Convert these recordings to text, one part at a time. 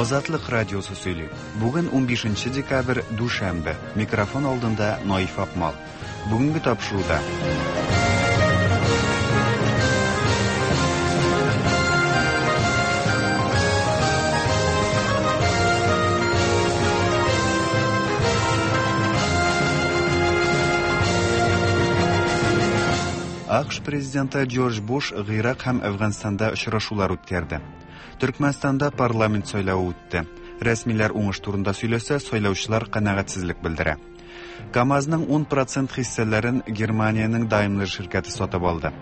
Азатлык радиосы сөйли. Бүген 15 декабрь, дүшәмбе. Микрофон алдында Наиф Акмал. Бүгенге тапшыруда. АКШ президенты Джордж Буш Гыйрак һәм Әфганстанда очрашулар үткәрде. Төркмәнстанда парламент сайлавы үтте. Рәсмиләр уңыш турында сөйләсә, сайлаучылар канәгатьсезлек белдерә. КАМАЗның 10% хиссәләрен Германиянең Daimler ширкәте сатып алды.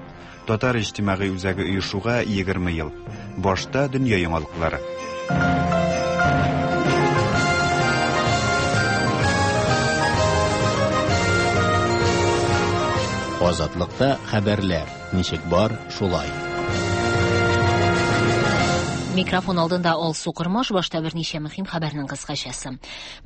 Татар иҗтимагый үзәге оешуга 20 ел. Башта дөнья яңалыклары. Азатлыкта хәбәрләр ничек бар, шулай. Микрофон алдында Алсу Кормаш, башта берничә мөһим хәбәрнең кыскачасы.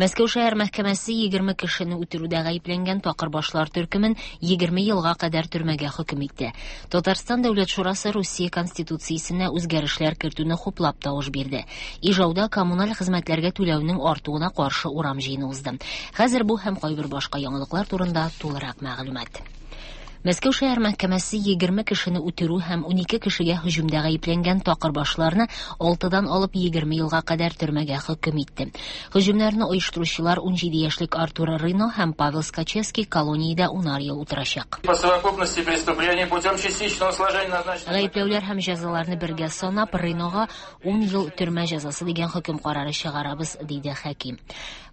Мәскәү шәһәр мәхкәмәсе 20 кешене үтерүдә гаепләнгән такырбашлар төркемен 20 елга кадәр төрмәгә хөкем итте. Татарстан Дәүләт шурасы Русия Конституциясенә үзгәрешләр кертүне хуплап тавыш бирде. Ижауда коммуналь хезмәтләргә түләүнең артуына каршы урам җыены узды. Хәзер бу һәм кайбер башка яңалыклар турында тулырак мәгълүмат. Мәскәү шәһәр мәхкәмәсе 20 кешене үтерү һәм 12 кешегә һөҗүмдә гаепләнгән такырбашларны 6-дан алып 20 елга кадәр төрмәгә хөкем итте. Һөҗүмнәрне оештыручылар 17 яшьлек Артур Рыно һәм Павел Скачевский колониядә унар ел утырачак. По совокупности преступлений путем частичного сложения назначенных Гаепләүләр һәм җәзаларны бергә санап, Рынога 10 ел төрмә җәзасы дигән хөкем карары чыгарабыз, диде хаким.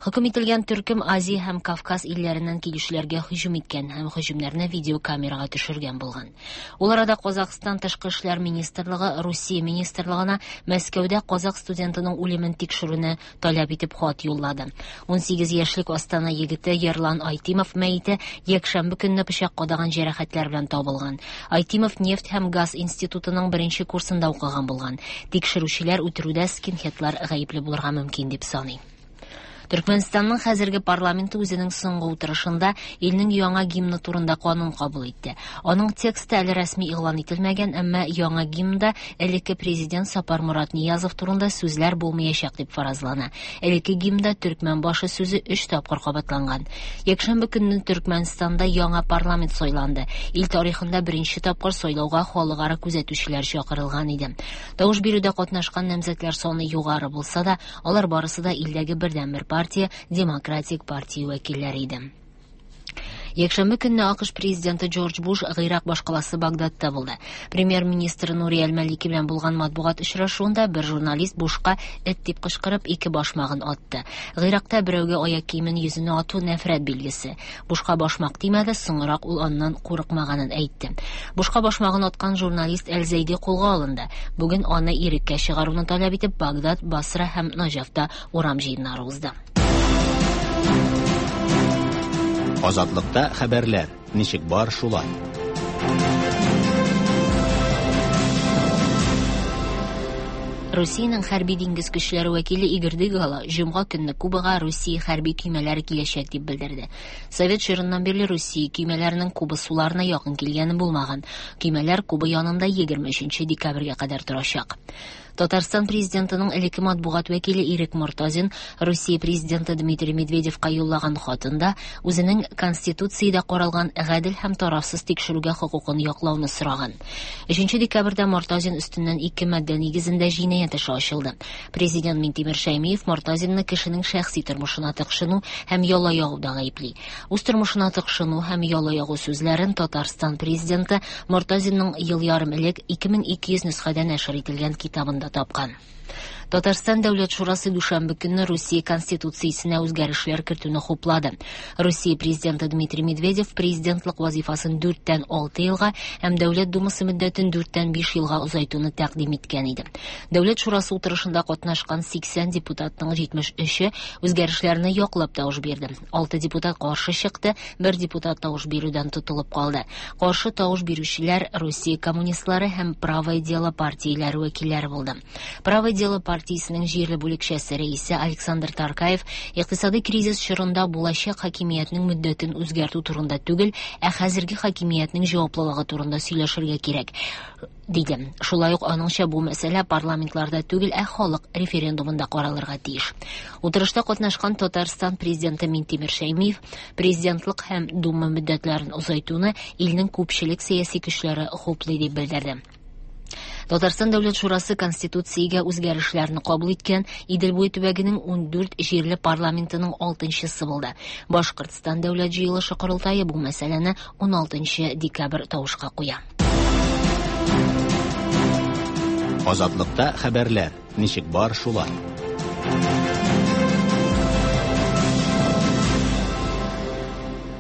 Хөкем ителгән төркем Азия һәм Кавказ илләреннән килүчеләргә һөҗүм иткән һәм һөҗүмнәрне видеокамерага төшергән булган. Ул арада Казахстан тышкы эшләр министрлыгы Русия министрлыгына Мәскәүдә казах студентының үлемен тикшерүне таләп итеп хат юллады. 18 яшьлек Астана егете Ерлан Айтимов мәете якшәмбе көнне пычак кадаган җәрәхәтләр белән табылган. Айтимов нефть һәм газ институтының беренче курсында укыган булган. Тикшерүчеләр үтерүдә скинхедлар гаепле булырга мөмкин дип саный. Төркмәнстанның хәзерге парламенты үзенең соңгы утырышында илнең яңа гимны турында канун кабул итте. Аның тексты әле рәсми игълан ителмәгән, әмма яңа гимнда элекке президент Сапармурат Ниязов турында сүзләр булмаячак дип фаразлана. Элекке гимнда төркмән башы сүзе 3 тапкыр кабатланган. Якшәмбе көнне Төркмәнстанда яңа парламент сайланды. Ил тарихында беренче тапкыр сайлауга халыкара күзәтүчеләр чакырылган иде. Тавыш бирүдә катнашкан намзәтләр саны югары булса да, алар барысы да илдәге бердәнбер партия Демократик партия вәкилләре иде. Якшәмбе көнне АКШ президенты Джордж Буш Гыйрак башкаласы Багдадта булды. Премьер-министр Нури Әл-Малики белән булган матбугат очрашуында бер журналист Бушка эт дип кычкырып ике башмагын атты. Гыйракта берәүгә аяк киемен йөзенә ату нәфрәт билгесе. Бушка башмак тимәде, соңрак ул аннан курыкмаганын әйтте. Бушка башмагын аткан журналист Әл-Зәйди кулга алынды. Бүген аны иреккә чыгаруны таләп итеп Багдад, Басра һәм Наҗафта урам җыеннары узды. Азатлыкта хәбәрләр ничек бар, шулай. Русиянең хәрби диңгез көчләре вәкиле Игорь Дыгало җомга көнне Кубага Русия хәрби көймәләре киләчәк дип белдерде. Совет чорыннан бирле Русия көймәләренең Куба суларына якын килгәне булмаган. Көймәләр Куба янында 23 декабрьгә кадәр торачак. Татарстан президентының элекке матбугат вәкиле Ирек Мортазин Русия президенты Дмитрий Медведевка юллаган хатында үзенең Конституциядә каралган гадел һәм тарафсыз тикшерүгә хокукын яклауны сораган. 3 декабрьдә Мортазин өстеннән ике маддә нигезендә җинаять эше ачылды. Президент Минтимер Шәймиев Мортазинны кешенең шәхси тормышына тыкшыну һәм яла ягуда гаепли. Үз тормышына тыкшыну һәм яла ягу сүзләрен Татарстан президенты Мортазинның ел ярым элек 2200 нөсхәдә нәшер ителгән китабында тапкан. Татарстан Дәүләт шурасы дүшәмбе көнне Русия Конституциясенә үзгәрешләр кертүне хуплады. Русия президенты Дмитрий Медведев президентлык вазифасын 4-тән 6 елга һәм Дәүләт Думасы мөддәтен 4-тән 5 елга озайтуны тәкъдим иткән иде. Дәүләт шурасы утырышында катнашкан 80 депутатның 73-е үзгәрешләрне яклап тавыш бирде. 6 депутат каршы чыкты, бер депутат тавыш бирүдән тотылып калды. Каршы тавыш бирүчеләр Русия коммунистлары һәм Правое дело партияләре вәкилләре булды. Правое дело партиясе партиясенең җирле бүлекчәсе рәисе Александр Таркаев икътисадый кризис чорында булачак хакимиятнең мөддәтен үзгәртү турында түгел, ә хәзерге хакимиятнең җаваплылыгы турында сөйләшергә кирәк, диде. Шулай ук аныңча бу мәсьәлә парламентларда түгел, ә халык референдумында каралырга тиеш. Утырышта катнашкан Татарстан президенты Минтимер Шәймиев президентлык һәм Дума мөддәтләрен озайтуны илнең күпчелек сәяси көчләре хуплый дип белдерде. Татарстан Дәүләт Шурасы Конституциягә үзгәрешләрне кабул иткән Идел буе төбәгенең 14 җирле парламентының 6-нчысы булды. Башкортстан Дәүләт җыелышы корылтае бу мәсьәләне 16 декабрь тавышка куя. Азатлыкта хәбәрләр ничек бар шулай.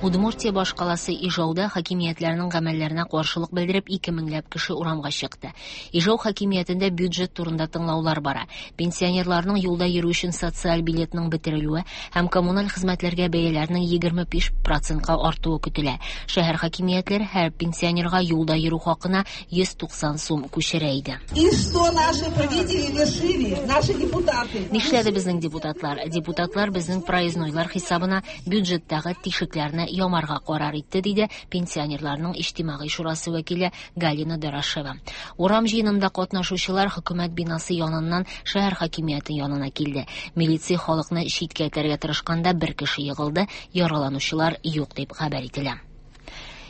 Удмуртия башкаласы Ижауда хакимиятләрнең гамәлләренә каршылык белдереп 2 меңләп кеше урамга чыкты. Ижау хакимиятендә бюджет турында тыңлаулар бара. Пенсионерларның юлда йөрү өчен социаль билетның бетерелүе һәм коммуналь хезмәтләргә бәяләрнең 25%ка артуы көтелә. Шәһәр хакимиятләре һәр пенсионерга юлда йөрү хакына 190 сум күчерә иде. И что наши правители вершили, наши депутаты? Нишләде безнең депутатлар? Депутатлар безнең проезднойлар хисабына бюджеттагы тишекләрне ямарга карар итте, диде пенсионерларның иҗтимагый шурасы вәкиле Галина Дорошева. Урам җыенында катнашучылар хөкүмәт бинасы яныннан шәһәр хакимияте янына килде. Милиция халыкны читкә этәргә тырышканда бер кеше егылды, яраланучылар юк дип хәбәр ителә.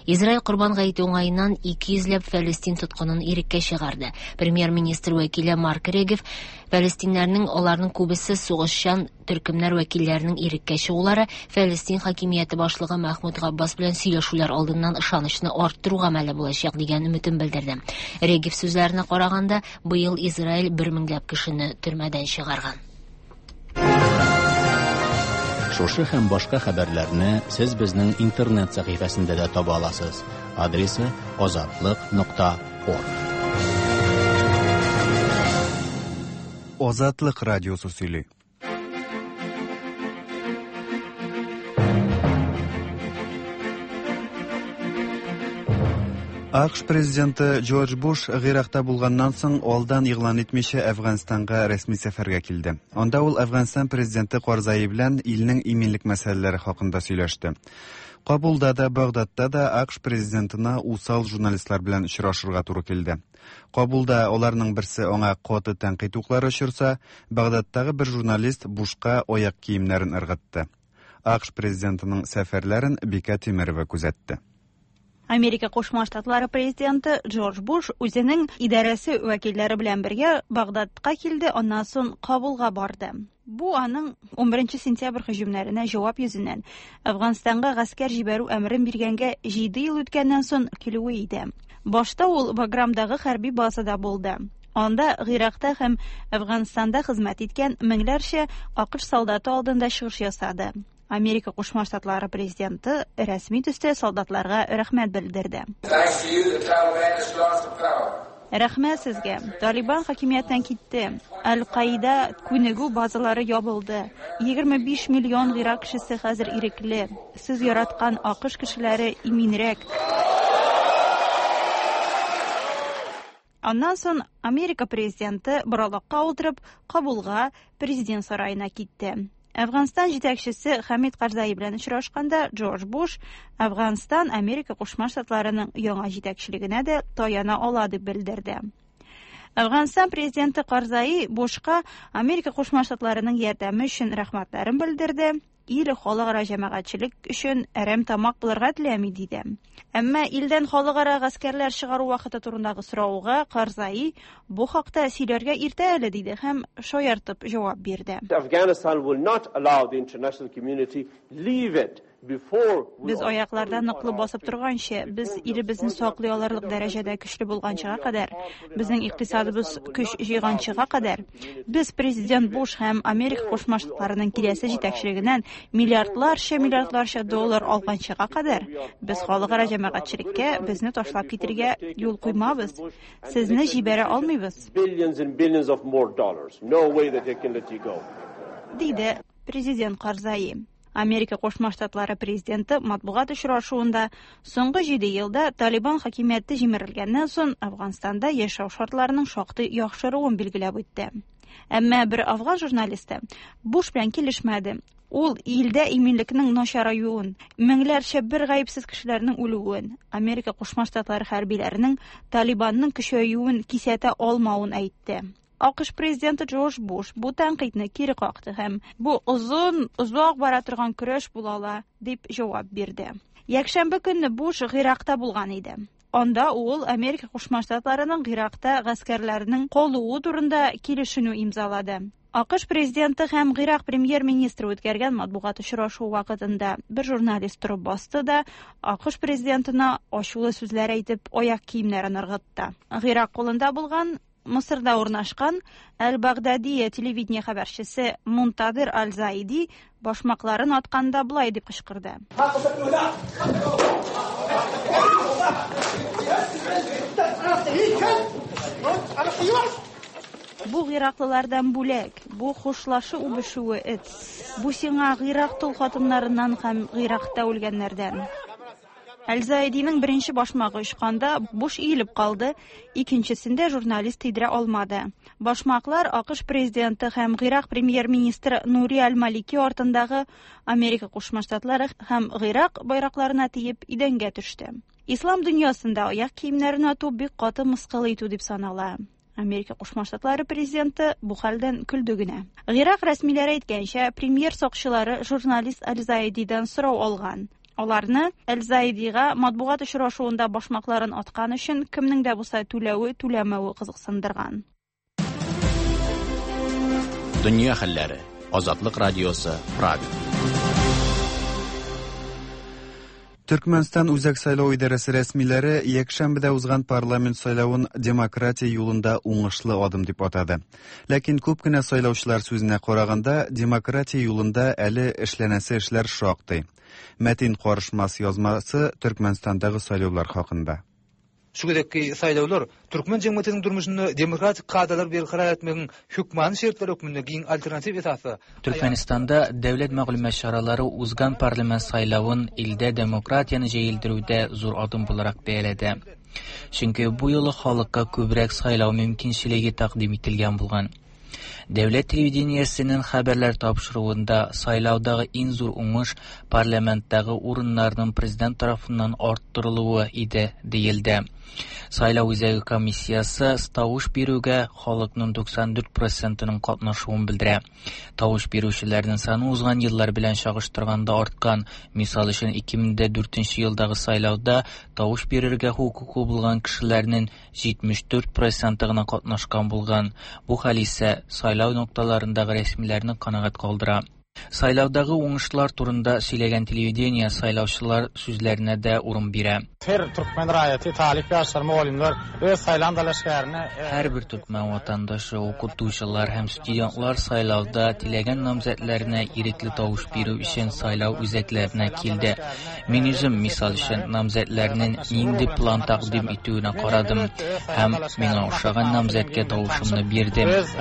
Израиль Корбан гаете уңаеннан 200 ләп Фәлестин тоткынын иреккә чыгарды. Премьер-министр вәкиле Марк Регев фәлестиннәрнең аларның күбесе сугышчан төркемнәр вәкилләренең иреккә чыгулары Фәлестин хакимияте башлыгы Мәхмүд Габбас белән сөйләшүләр алдыннан ышанычны арттыру гамәле булачак дигән өметен белдерде. Регев сүзләренә караганда, быел Израиль бер меңләп кешене төрмәдән чыгарган. Шушы һәм башка хәбәрләрне сез безнең интернет сәхифәсендә дә таба аласыз. Адресы azatliq.org. Азатлык радиосы сөйли. АКШ президенты Джордж Буш Гыйракта булганнан соң алдан игълан итмичә Әфганстанга рәсми сәфәргә килде. Анда ул Әфганстан президенты Карзаи белән илнең иминлек мәсьәләләре хакында сөйләште. Кабулда да, Багдадта да АКШ президентына усал журналистлар белән очрашырга туры килде. Кабулда аларның берсе аңа каты тәнкыйть уклары очырса, Багдадтагы бер журналист Бушка аяк киемнәрен ыргытты. АКШ президентының сәфәрләрен Бикә Тимерова күзәтте. Америка Кушма Штатлары президенты Джордж Буш үзенең идарәсе вәкилләре белән бергә Багдадка килде, аннан соң Кабулга барды. Бу аның 11 сентябрь һөҗүмнәренә җавап йөзеннән Әфганстанга гаскәр җибәрү әмерен биргәнгә 7 ел үткәннән соң килүе иде. Башта ул Баграмдагы хәрби базада булды. Анда Гыйракта һәм Әфганстанда хезмәт иткән меңләрчә АКШ солдаты алдында чыгыш ясады. Америка Кушма Штатлары президенты рәсми төстә солдатларга рәхмәт белдерде. Рәхмәт сезгә. Талибан хакимияттән китте. Аль-Каида күнегү базалары ябылды. 25 миллион Гыйрак кешесе хәзер ирекле. Сез яраткан АКШ кешеләре иминрәк. Аннан соң Америка президенты боралакка утырып Кабулга президент сараена китте. Әфганстан җитәкчесе Хамид Карзаи белән очрашканда Джордж Буш Әфганстан Америка Кушма Штатларының яңа җитәкчелегенә дә таяна ала дип белдерде. Әфганстан президенты Карзаи Бушка Америка Кушма Штатларының ярдәме өчен рәхмәтләрен белдерде. Ил халыкара җәмәгатьчелек өчен әрәм тамак булырга теләми диде. Әмма илдән халыкара гаскәрләр чыгару вакыты турындагы сорауга Карзаи бу хакта сөйләргә иртә әле диде һәм шаяртып җавап бирде. Afghanistan will not allow the international community leave it Без аякларда ныклы басып торганчы, без илебезне саклый алырлык дәрәҗәдә көчле булганчыга кадәр, безнең икътисадыбыз көч җыйганчыга кадәр, без президент Буш һәм Америка Кушма Штатларының киләсе җитәкчелегеннән миллиардларча доллар алганчыга кадәр, без халыкара җәмәгатьчелеккә безне ташлап китергә юл куймабыз. Сезне җибәрә алмыйбыз. Диде президент Карзаи. Америка Кушма Штатлары президенты матбугат очрашуында соңгы 7 елда Талибан хакимияте җимерелгәннән соң Әфганстанда яшәү шартларының шактый яхшыруын билгеләп үтте. Әмма бер афган журналисты Буш белән килешмәде. Ул илдә иминлекнең начараюын, меңләрчә бер гаепсез кешеләрнең үлүен, Америка Кушма Штатлары хәрбиләренең Талибанның көчәюен кисәтә алмавын әйтте. АКШ президенты Джордж Буш бу тәнкыйтьне кире какты һәм бу озын, озак бара торган көрәш була ала, дип җавап бирде. Якшәмбе көнне Буш Гыйракта булган иде. Анда ул Америка Кушма Штатларының Гыйракта гаскәрләренең калуы турында килешенү имзалады. АКШ президенты һәм Гыйрак премьер-министры үткәргән матбугат очрашуы вакытында бер журналист торып басты да, АКШ президентына ачулы сүзләр әйтеп, аяк киемнәрен ыргытты. Гыйрак кулында булган Мысырда урнашкан Әл-Багдадия телевидение хәбәрчесе Мунтадыр Аль-Заиди башмакларын атканда болай дип кычкырды. Бу гыйраклылардан бүләк, бу хушлашу үбешүе эт. Бу сиңа Гыйрак тол хатыннарыннан һәм Гыйракта үлгәннәрдән. Әл-Заидиның беренче башмагы очканда Буш иелеп калды, икенчесендә журналист тидерә алмады. Башмаклар АКШ президенты һәм Гыйрак премьер-министры Нури Аль-Малики артындагы Америка Кушма Штатлары һәм Гыйрак байракларына тиеп идәнгә төште. Ислам дөньясында аяк киемнәрен ату бик каты мыскыл итү дип санала. Америка Кушма Штатлары президенты бу хәлдән көлде генә. Гыйрак рәсмиләре әйткәнчә, премьер сакчылары журналист Аль-Заидидан сорау алган. Аларны Аль-Заидига матбугат очрашуында башмакларын аткан өчен кемнең дә булса түләве-түләмәве кызыксындырган. Дөнья хәлләре. Азатлык радиосы, Прага. Төркмәнстан Үзәк сайлау идарәсе рәсмиләре якшәмбедә узган парламент сайлавын демократия юлында уңышлы адым дип атады. Ләкин күп кенә сайлаучылар сүзенә караганда, демократия юлында әле эшләнәсе эшләр шактый. Мәтин Карышмас язмасы Төркмәнстандагы сайлаулар хакында. Şu gezekki saýlawlar türkmen jemgyýetiniň durmuşynda demokratik kadalary berkarar etmegiň hökmany şertleri hökmünde giň alternatiw esasda Төркмәнстанда дәүләт мәгълүмат чаралары узган парламент сайлавын илдә демократияне җәелдерүдә зур адым буларак бәяләде. Чөнки бу юлы халыкка күбрәк сайлау мөмкинчелеге тәкъдим ителгән булган. Дәүләт телевидениесенең хәбәрләр тапшыруында сайлаудагы иң зур уңыш парламенттагы урыннарның президент тарафыннан арттырылуы иде, диелде. Сайлау үзәге комиссиясе тавыш бирүгә халыкның 94 процентының катнашуын белдерә. Тавыш бирүчеләрнең саны узган еллар белән чагыштырганда арткан. Мисал өчен, 2004 елдагы сайлауда тавыш бирергә хокукы булган кешеләрнең 74 проценты гына катнашкан булган. Бу хәл исә сайлау нокталарындагы рәсмиләрне канәгать калдыра. Сайлаудагы уңышлар турында сөйләгән телевидение сайлаучылар сүзләренә дә урын бирә. Her türkmen raýaty, talyp ýaşlar, mugallymlar öz saýlan dalaşgärine Һәрбер төркмән ватандашы, укытучылар һәм студентлар сайлауда теләгән намзәтләренә ирекле тавыш бирү өчен сайлау үзәкләренә килде. Мин үзем, мисал өчен, намзәтләрнең нинди план тәкъдим итүенә карадым һәм миңа ошаган намзәткә тавышымны бирдем. Öz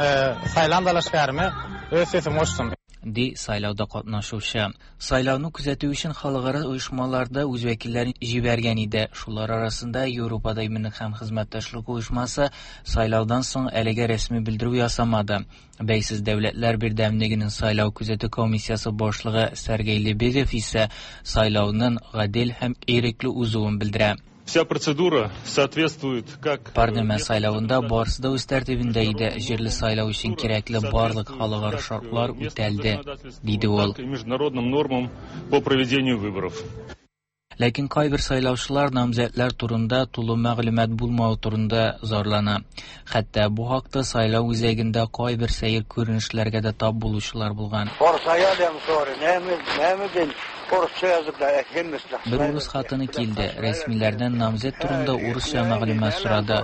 saýlan dalaşgärime öz sesimi goşdum. Ди сайлауда катнашучы. Сайлауны күзәтү өчен халыкара оешмалар да үз вәкилләрен җибәргән иде. Шулар арасында Европада иминлек һәм хезмәттәшлек оешмасы сайлаудан соң әлегә рәсми белдерү ясамады. Бәйсез дәүләтләр бердәмлегенең сайлау күзәтү комиссиясе башлыгы Сергей Лебедев исә сайлауның гадел һәм ирекле узуын белдерә. Вся процедура соответствует как Парламент сайлавында барысы да үз тәртибендә иде. Җирле сайлау өчен кирәкле барлык халыкара шартлар үтәлде, диде ул. Так и международным нормам по проведению выборов. Ләкин кайбер сайлаучылар намзәтләр турында тулы мәгълүмат булмавы турында зарлана. Хәтта бу хакта сайлау үзәгендә кайбер сәер күренешләргә дә тап булучылар булган. Бер урыс хатыны килде, рәсмиләрдән намзәт турында урысча мәгълүмат сорады.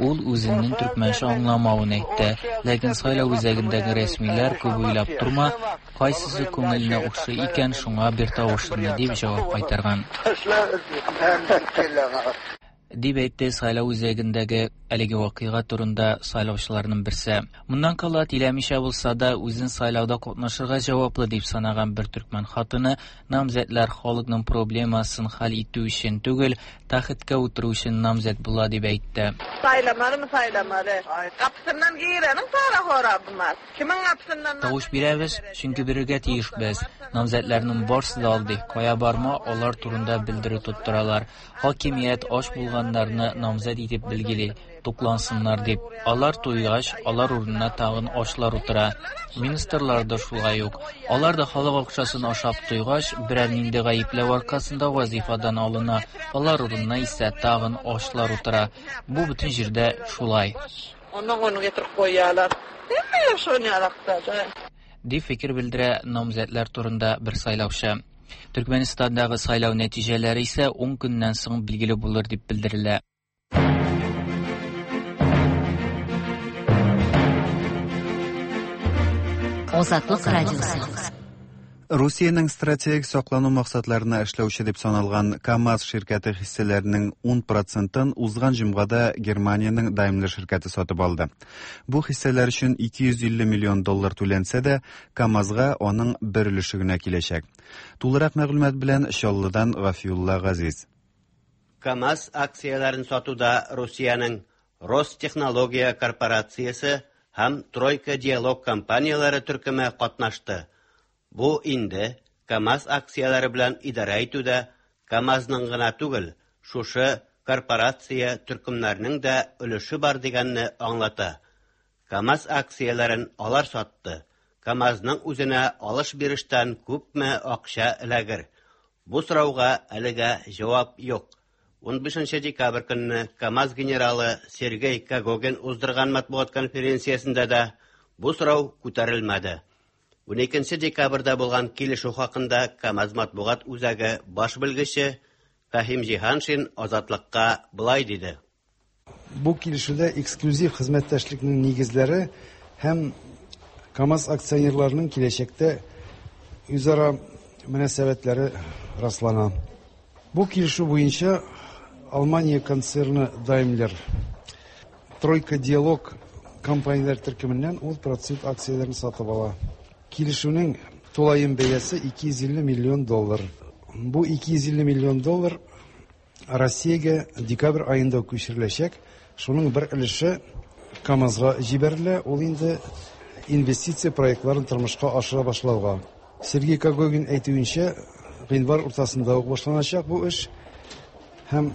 Ул үзенең төркмәнчә аңламавын әйтте. Ләкин сайлау үзәгендәге рәсмиләр күп уйлап торма, кайсысы күңеленә охшый икән, шуңа бер тавышыңны дип җавап кайтарган. Дип әйтте сайлау үзәгендәге әлеге вакыйга турында сайлаучыларның берсе. Моннан кала, теләмичә булса да, үзен сайлауда катнашырга җаваплы дип санаган бер төркмән хатыны намзәтләр халыкның проблемасын хәл итү өчен түгел, тәхеткә утыру өчен намзәт була дип әйтте. Saýlamalymy saýlamaly. Gapysyndan gireniň para horabymaz. Kimiň gapysyndan Тавыш бирәбез, чөнки бирергә тиешбез. Намзәтләрнең барсы да алдый. Кая барма, алар турында белдерү тоттыралар. Хакимият ач булганнарны намзәт итеп билгели, туклансыннар дип. Алар туйгач, алар урынына тагын ачлар утыра. Министрлар да шулай ук. Алар да халык акчасын ашап туйгач, берәр нинди гаепләү аркасында вазифадан алына. Алар урынына исә тагын ачлар утыра. Бу бөтен җирдә шулай. Ondan ony getirip goýýarlar. Hemme şony ýalakda. Дип фикер белдерә намзәтләр турында бер сайлаучы. Төркмәнстандагы сайлау нәтиҗәләре исә 10 көннән соң билгеле булыр дип белдерелә. Азатлык радиосы. Русиянең стратегик саклану максатларына эшләүче дип саналган КАМАЗ ширкәте хиссәләренең 10 процентын узган җомгада Германиянең Daimler ширкәте сатып алды. Бу хиссәләр өчен 250 миллион доллар түләнсә дә, КАМАЗга аның бер өлеше генә киләчәк. Тулырак мәгълүмат белән Чаллыдан Гафиулла Газиз. КАМАЗ акцияләрен сатуда Русиянең Ростехнология корпорациясе һәм Тройка Диалог компанияләре төркеме катнашты. Бу инде КАМАЗ акцияләре белән идарә итүдә КАМАЗның гына түгел, шушы корпорация төркемнәренең дә өлеше бар дигәнне аңлата. КАМАЗ акцияләрен алар сатты. КАМАЗның үзенә алыш-бирештән күпме акча эләгер? Бу сорауга әлегә җавап юк. 15 декабрь көнне КАМАЗ генералы Сергей Когогин уздырган матбугат конференциясендә дә бу сорау күтәрелмәде. 12 декабрьдә булган килешү хакында КАМАЗ матбугат үзәге баш белгече Фәһим Җиһаншин Азатлыкка былай диде. Бу килешүдә эксклюзив хезмәттәшлекнең нигезләре һәм КАМАЗ акционерларының киләчәктә үзара мөнәсәбәтләре раслана. Бу килешү буенча Алмания концерны Daimler Тройка Диалог компанияләр төркеменнән 10% акцияләрен сатып ала. Килешүнең тулаем бәясе 250 миллион доллар. Бу 250 миллион доллар Россиягә декабрь аенда күчереләчәк. Шуның бер өлеше КАМАЗга җибәрелә, ул инде инвестиция проектларын тормышка ашыра башлауга. Сергей Когогин әйтүенчә, гыйнвар уртасында ук башланачак бу эш һәм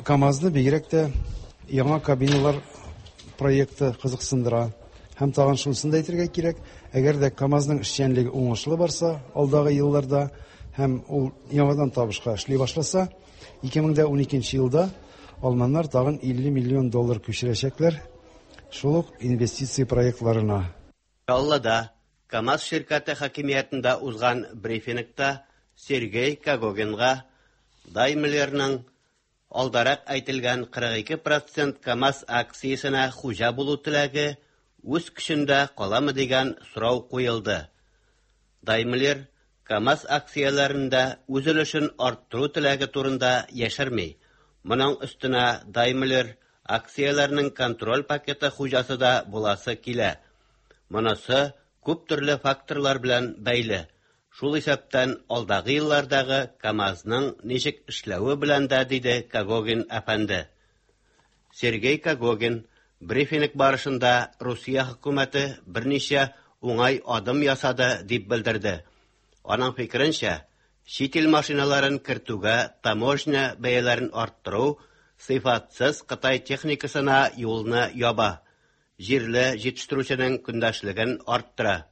КАМАЗны бигрәк тә яңа кабиналар проекты кызыксындыра. Һәм тагын шунысын да әйтергә кирәк, әгәр дә КАМАЗның эшчәнлеге уңышлы барса, алдагы елларда һәм ул яңадан табышка эшли башласа, 2012 елда алманнар тагын 50 миллион доллар күчерәчәкләр шул ук инвестиция проектларына. Чаллыда КАМАЗ ширкәте хакимиятендә узган брифингта Сергей Когогинга Daimlerның алдарак әйтелгән 42% КАМАЗ акциясенә хуҗа булу теләге үз көчендә каламы дигән сорау куелды. Daimler КАМАЗ акцияләрендә үз өлешен арттыру теләге турында яшерми. Моның өстенә Daimler акцияләренең контроль пакеты хуҗасы да буласы килә. Монысы күп төрле факторлар белән бәйле. Шул исәптән алдагы еллардагы КАМАЗның ничек эшләве белән дә, диде Когогин әфәнде. Сергей Когогин брифинг барышында Русия хөкүмәте берничә уңай адым ясады дип белдерде. Аның фикеренчә, чит ил машиналарын кертүгә таможня бәяләрен арттыру сыйфатсыз Кытай техникасына юлны яба, җирле җитештерүченең көндәшлеген арттыра.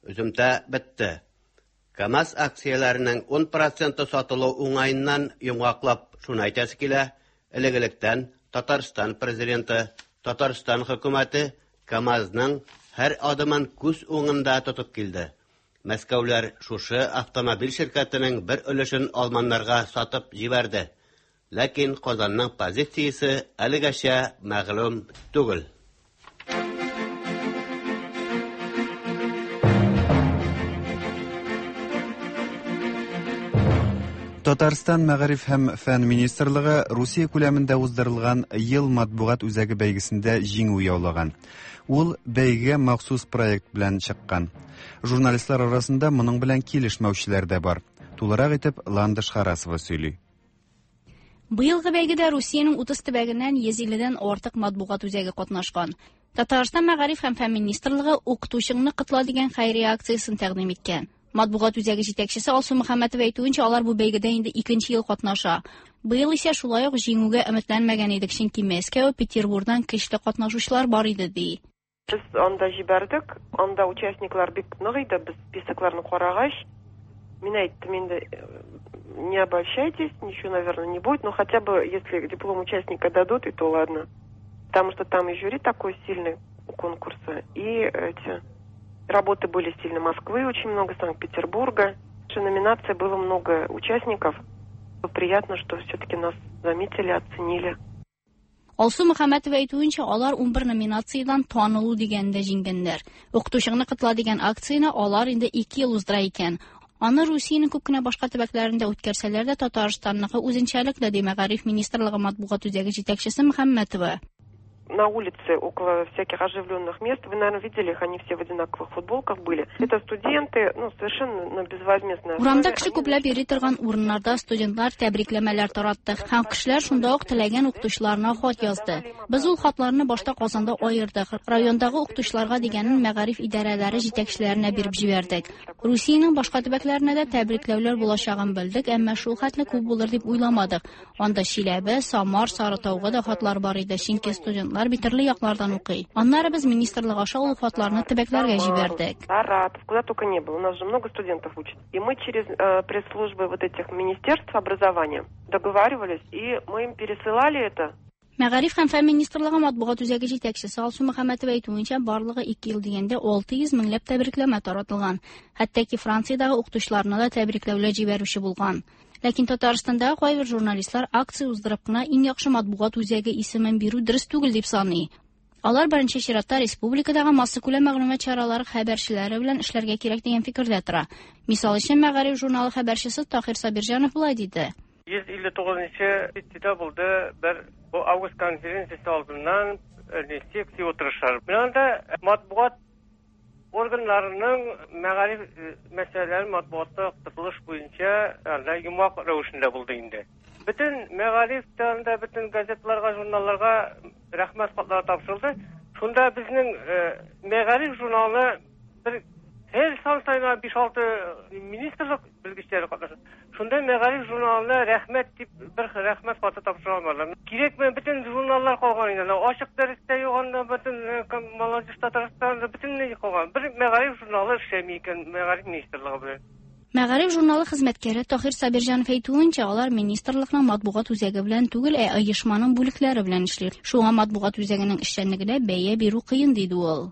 Өземтә бетте. КАМАЗ акцияләренең 10% сатылу уңаеннан йомгаклап шуны әйтәсе килә, элек-электән Татарстан президенты, Татарстан хөкүмәте КАМАЗның һәр адымын күз уңында тотып килде. Мәскәүләр шушы автомобиль ширкәтенең бер өлешен алманнарга сатып җибәрде. Ләкин Казанның позициясе әлегәчә мәгълүм түгел. Татарстан Мәгариф һәм фән министрлыгы Русия күләмендә уздырылган Ел матбугат үзәге бәйгесендә җиңү яулаган. Ул бәйгегә махсус проект белән чыккан. Журналистлар арасында моның белән килешмәүчеләр дә бар. Тулырак итеп Ландыш Харасова сөйли. Быелгы бәйгедә Русиянең 30 төбәгеннән 150дән артык матбугат үзәге катнашкан. Татарстан Мәгариф һәм фән министрлыгы Укытучыңны котла дигән хәйрия акциясен тәкъдим иткән. Матбугат үзәге җитәкчесе Алсу Мөхәммәтова әйтүенчә, алар бу бәйгедә инде икенче ел катнаша. Быел исә шулай ук җиңүгә өметләнмәгән идек, чөнки Мәскәү, Петербурдан көчле катнашучылар бар иде, ди. Без анда җибәрдек, анда участниклар бик нык иде, без списокларны карагач, мин әйттем инде, не обольщайтесь, ничего, наверное, не будет, но хотя бы, если диплом участника дадут, и то ладно. Потому что там и жюри такой сильный у конкурса, и эти работы были сильно Москвы, очень много, Санкт-Петербурга. Номинация было много участников. Приятно, что все-таки нас заметили, оценили. Алсу Мөхәммәтова әйтүенчә, алар 11 номинациядән танылу дигәндә җиңгәннәр. Укытучыңны котла дигән акцияне алар инде 2 ел уздыра икән. Аны Русиянең күп кенә башка төбәкләрендә үткәрсәләр дә, Татарстанныкы үзенчәлекле, ди Мәгариф министрлыгы матбугат үзәге җитәкчесе Мөхәммәтова. На улице около всяких оживленных мест, вы, наверное, видели их, они все в одинаковых футболках были. Это студенты, ну, совершенно на безвозмездной основе. Урамда кеше күпләп йөри торган урыннарда студентлар тәбрикләмәләр таратты һәм кешеләр шунда ук теләгән укытучыларына хат язды. Без ул хатларны башта Казанда аердык. Райондагы укытучыларга дигәнен мәгариф идарәләре җитәкчеләренә биреп җибәрдек. Русиянең башка төбәкләренә дә тәбрикләүләр булачагын белдек, әмма шул хәтле күп булыр дип уйламадык. Анда Чиләбе, Самар, Сарытауга да хатлар бар иде, чөнки студентлар бит төрле яклардан укый. Аннары без министрлык аша ул хатларны төбәкләргә җибәрдек. Саратов, куда только не было. У нас же много студентов учат. И мы через пресс-службы вот этих министерств образования договаривались, и мы им пересылали это. Мәгариф һәм фән министрлыгы матбугат үзәге җитәкчесе Алсу Мөхәммәтова әйтүенчә, барлыгы 2 ел дигәндә 600 меңләп тәбрикләмә таратылган. Хәтта ки Франциядәге укытучыларына да тәбрикләүләр җибәрүче булган. Ләкин Татарстандагы кайбер журналистлар акция уздырып кына иң яхшы матбугат үзәге исемен бирү дөрес түгел дип саный. Алар беренче чиратта республикадагы массакүләм мәгълүмат чаралары хәбәрчеләре белән эшләргә кирәк дигән фикердә тора. Мисал өчен, Мәгариф журналы хәбәрчесе Таһир Сабирҗанов болай диде. 159 нчы сессиядә булды бер бу август конференциясе алдыннан секция утырышлар. Менә анда матбугат органнарының мәгариф мәсьәләләрен матбугатта яктыртылыш буенча анда йомгак рәвешендә булды инде. Бөтен мәгариф тә анда бөтен газетларга, журналларга рәхмәт хатлары тапшырылды. Шунда безнең мәгариф журналына бер һәр сан саен 5-6 министрлык белгечләре катнаша. Шунда мәгариф журналына рәхмәт дип бер рәхмәт хаты тапшыра алмадылар. Кирәкме бөтен журналлар калган инде. Ачык дәрестә юк анда бөтен Молодежь Татарстанда бөтенләй калган. Бер мәгариф журналы эшләми икән мәгариф министрлыгы белән. Мәгариф журналы хезмәткәре Таһир Сабирҗанов әйтүенчә, алар министрлыкның матбугат үзәге белән түгел, ә оешманың бүлекләре белән эшли. Шуңа матбугат үзәгенең эшчәнлегенә бәя бирү кыен, диде ул.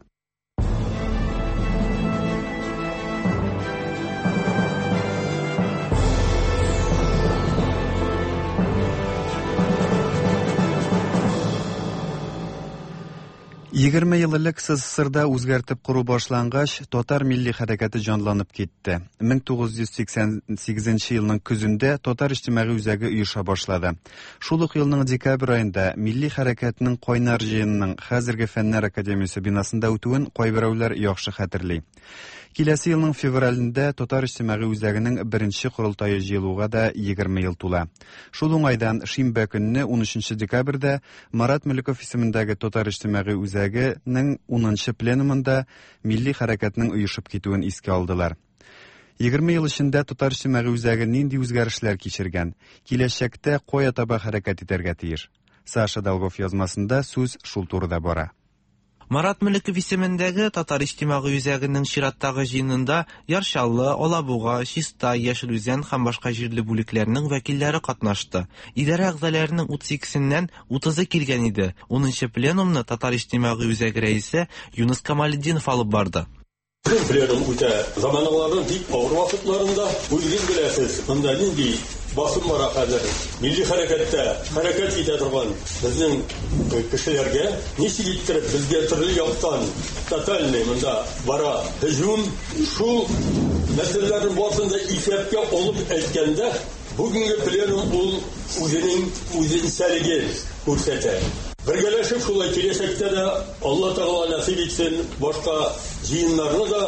Егерме ел элек СССРда үзгәртеп кору башлангач, татар милли хәрәкәте җанланып китте. 1988 елның көзендә Татар иҗтимагый үзәге оеша башлады. Шул ук елның декабрь аенда милли хәрәкәтнең кайнар җыенының хәзерге Фәннәр академиясе бинасында үтүен кайберәүләр яхшы хәтерли. Киләсе елның февралендә Татар иҗтимагый үзәгенең беренче корылтае җыелуга да 20 ел тула. Шул уңайдан шимбә көнне 13 декабрьдә Марат Мөлеков исемендәге Татар иҗтимагый үзәгенең 10 пленумында милли хәрәкәтнең оешып китүен искә алдылар. 20 ел эчендә Татар иҗтимагый үзәге нинди үзгәрешләр кичергән, киләчәктә кая таба хәрәкәт итәргә тиеш? Саша Долгов язмасында сүз шул турыда бара. Марат Мөлеков исемендәге Татар иҗтимагый үзәгенең чираттагы җыенында Яр Чаллы, Алабуга, Чистай, Яшел Үзән һәм башка җирле бүлекләрнең вәкилләре катнашты. Идарә әгъзаләренең 32-сеннән 30-ы килгән иде. Унынчы пленумны Татар иҗтимагый үзәге рәисе Юныс Камалетдинов алып барды. Безнең пленум үтә заманаларның бик авыр вакытларында. Үзегез беләсез, монда нинди басым бара хәзер. Милли хәрәкәттә хәрәкәт итә торган безнең кешеләргә ничек иттереп безгә төрле яктан тотальный монда бара һөҗүм. Шул мәсьәләләрнең барысын да исәпкә алып әйткәндә, бүгенге пленум ул үзенең үзенчәлеген күрсәтә. Бергәләшеп шулай киләчәктә дә Алла Тәгалә нәсыйп итсен, башка җыеннарны да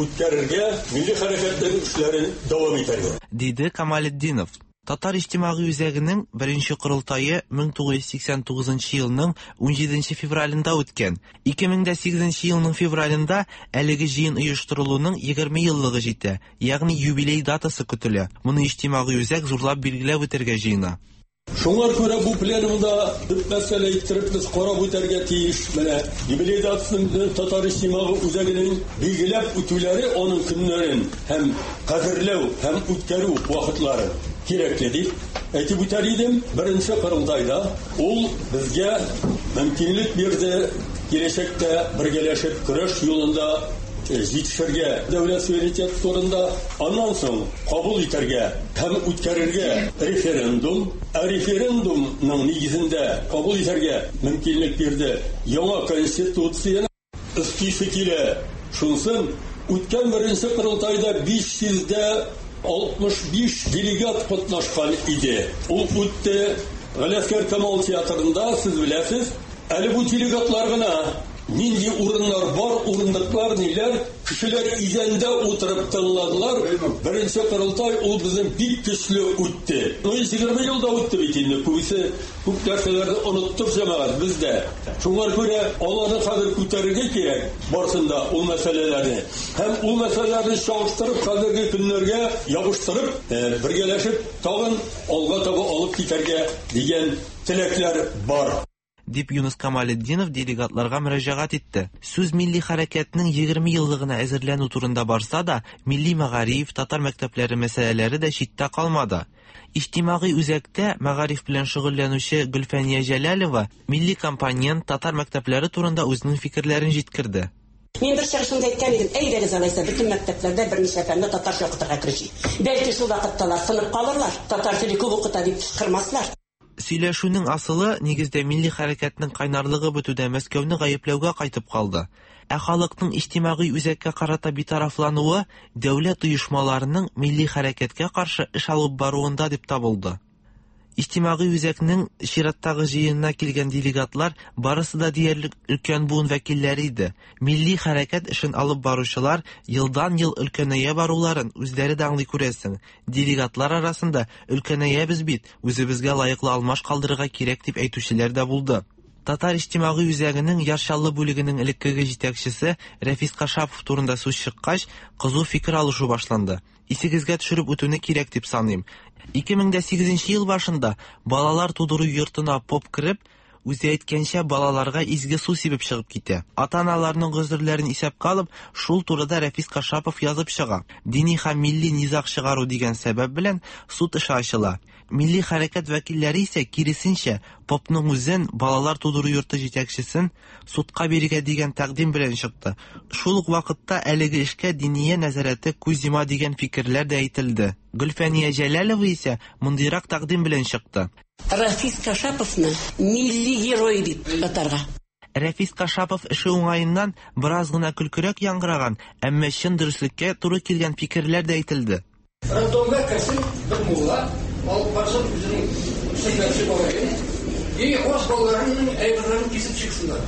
үткәрергә, милли хәрәкәтнең эшләрен дәвам итәргә. Диде Камалетдинов. Татар иҗтимагый үзәгенең беренче корылтае 1989 елның 17 февралендә үткән. 2008 елның февралендә әлеге җыен оештырылуның 20 еллыгы җитә, ягъни юбилей датасы көтелә. Моны иҗтимагый үзәк зурлап билгеләп үтәргә җыена. Шуңар күрә бу пленумда төп мәсьәлә иттереп без карап үтәргә тиеш. Менә юбилей датасын Татар иҗтимагый үзәгенең билгеләп үтүләре аның көннәрен һәм кадерләү һәм үткәрү вакытлары кирәкле дип әйтеп үтәр идем. Беренче корылтайда ул безгә мөмкинлек бирде киләчәктә бергәләшеп көрәш юлында җитешергә дәүләт суверенитеты турында, аннан соң кабул итәргә һәм үткәрергә референдум, ә референдумның нигезендә кабул итәргә мөмкинлек бирде яңа конституцияне. Өстисе килә шунсын, үткән беренче корылтайда 565 делегат катнашкан иде. Ул үтте Галиәсгар Камал театрында, сез беләсез. Әле бу делегатлар гына, нинди урыннар бар, урындыклар, ниләр, кешеләр идәндә утырып тыңладылар. Беренче корылтай ул безнең бик көчле үтте. Ну, 20 ел да үтте бит инде, күбесе күп нәрсәләрне оныттык җәмәгать без дә. Шуңа күрә аларны хәзер күтәрергә кирәк, барсын да ул мәсьәләләрне. Һәм ул мәсьәләләрне чагыштырып, хәзерге көннәргә ябыштырып, бергәләшеп тагын алга таба алып китәргә дигән теләкләр бар. Дип Юныс Камалетдинов делегатларга мөрәҗәгать итте. Сүз милли хәрәкәтнең 20 еллыгына әзерләнү турында барса да, милли мәгариф, татар мәктәпләре мәсьәләләре дә читтә калмады. Иҗтимагый үзәктә мәгариф белән шөгыльләнүче Гөлфәния Җәләлова милли компонент, татар мәктәпләре турында үзенең фикерләрен җиткерде. Мин бер чыгышымда әйткән идем, әйдәгез алайса, бөтен мәктәпләрдә берничә фәнне татарча укытырга керешик. Бәлки шул вакытта алар тынып калырлар, татар теле күп укыта дип кычкырмаслар. Сөйләшүнең асылы, нигездә, милли хәрәкәтнең кайнарлыгы бетүдә Мәскәүне гаепләүгә кайтып калды. Ә халыкның иҗтимагый үзәккә карата битарафлануы дәүләт оешмаларының милли хәрәкәткә каршы эш алып баруында дип табылды. Иҗтимагый үзәкнең чираттагы җыенына килгән делегатлар барысы да диярлек өлкән буын вәкилләре иде. Милли хәрәкәт эшен алып баручылар елдан-ел өлкәнәя баруларын үзләре дә аңлый күрәсең. Делегатлар арасында өлкәнәябез бит, үзебезгә лаеклы алмаш калдырырга кирәк дип әйтүчеләр дә булды. Татар иҗтимагый үзәгенең Яр Чаллы бүлегенең элеккеге җитәкчесе Рәфис Кашапов турында сүз чыккач, кызу фикер алышу башланды. Исегезгә төшереп үтүне кирәк дип саныйм. 2008 ел башында балалар тудыру йортына поп кереп, Үзе әйткәнчә, балаларга изге су сибеп чыгып китә. Ата-аналарның гозерләрен исәпкә алып, шул турыда Рәфис Кашапов язып чыга. Дини һәм милли низаг чыгару дигән сәбәп белән суд эше ачыла. Милли хәрәкәт вәкилләре исә, киресенчә, попның үзен, балалар тудыру йорты җитәкчесен судка бирергә дигән тәкъдим белән чыкты. Шул ук вакытта әлеге эшкә Диния нәзарәте күз йома дигән фикерләр дә әйтелде. Гөлфәния Җәләлова исә мондыйрак тәкъдим белән чыкты. Рафис Кашаповны милли герой дип атарга. Рәфис Кашапов эше уңаеннан бераз гына көлкерәк яңгыраган, әмма чын дөреслеккә туры килгән фикерләр дә әйтелде. Роддомга керсен бер мулла, алып барсын үзенең сөннәтче малаен, и урыс балаларының әйберләрен кисеп чыксыннар.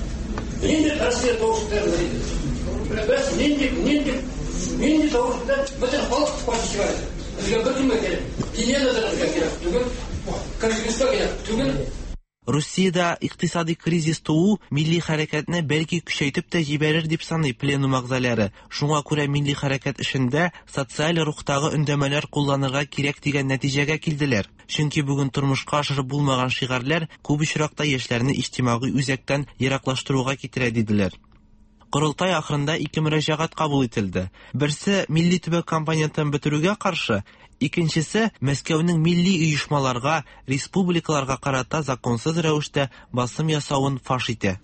Нинди Россия тавыш күтәрелер иде? Без нинди, нинди, нинди тавыш белән бөтен халык каршы чыгар иде. Безгә беркемгә кирәк, Диния нәзарәтенә кирәк түгел, Конгресска кирәк түгел. Русиядә икътисади кризис туу милли хәрәкәтне бәлки көчәйтеп тә җибәрер дип саный пленум әгъзалары. Шуңа күрә милли хәрәкәт эшендә социаль рухтагы өндәмәләр кулланырга кирәк дигән нәтиҗәгә килделәр. Чөнки бүген тормышка ашырып булмаган шигарьләр күп очракта яшьләрне иҗтимагый үзәктән ераклаштыруга китерә, диделәр. Корылтай ахырында ике мөрәҗәгать кабул ителде. Берсе милли төбәк компонентын бетерүгә каршы, икенчесе Мәскәүнең милли оешмаларга, республикаларга карата законсыз рәвештә басым ясавын фаш итә.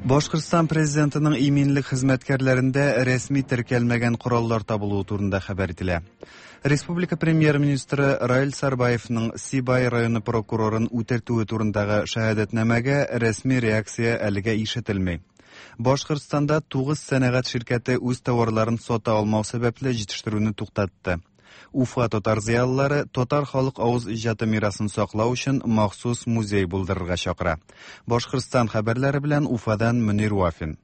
Башкортстан президентының иминлек хезмәткәрләрендә рәсми теркәлмәгән кораллар табылуы турында хәбәр ителә. Республика премьер-министры Раил Сарбаевның Сибай районы прокурорын үтертүе турындагы шәһадәтнамәгә рәсми реакция әлегә ишетелми. Башкортстанда 9 сәнәгать ширкәте үз товарларын сата алмау сәбәпле җитештерүне туктатты. Уфа татар зыялылары татар халык авыз иҗаты мирасын саклау өчен махсус музей булдырырга чакыра. Башкортстан хәбәрләре белән Уфадан Мөнир Вафин.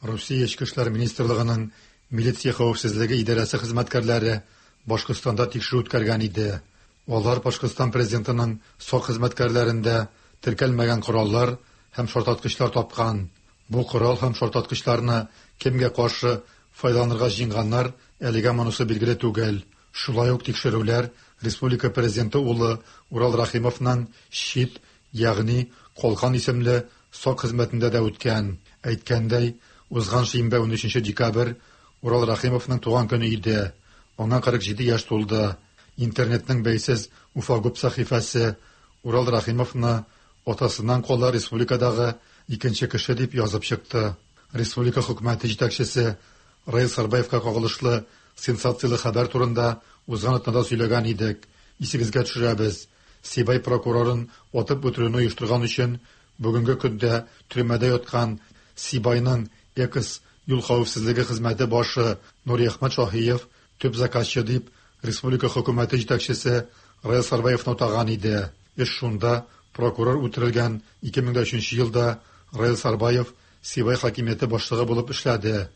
Русия Эчке эшләр министрлыгының милиция хәвефсезлеге идарәсе хезмәткәрләре Башкортстанда тикшерү үткәргән иде. Алар Башкортстан президентының сак хезмәткәрләрендә теркәлмәгән кораллар һәм шартлаткычлар тапкан. Бу корал һәм шартлаткычларны кемгә каршы файдаланырга җыенганнар, әлегә монысы билгеле түгел. Шулай ук тикшерүләр республика президенты улы Урал Рәхимовның Щит, ягъни Калкан исемле сак хезмәтендә дә үткән. Әйткәндәй, узган шимбә 13 декабрь Урал Рәхимовның туган көне иде. Аңа 47 яшь тулды. Интернетның бәйсез Уфагуб сәхифәсе Урал Рәхимовны атасыннан кала республикадагы икенче кеше дип язып чыкты. Республика хөкүмәте җитәкчесе Раил Сарбаевка кагылышлы сенсацияле хәбәр турында узган атнада сөйләгән идек. Исегезгә төшерәбез. Сибай прокурорын атып үтерүне оештырган өчен бүгенге көндә төрмәдә яткан Сибайның экс юл хәвефсезлеге хезмәте башы Нуриәхмәт Шаһиев төп заказчы дип республика хөкүмәте җитәкчесе Раил Сарбаевны атаган иде. Эш шунда, прокурор үтерелгән 2003 елда Раил Сарбаев Сибай хакимияте башлыгы булып эшләде.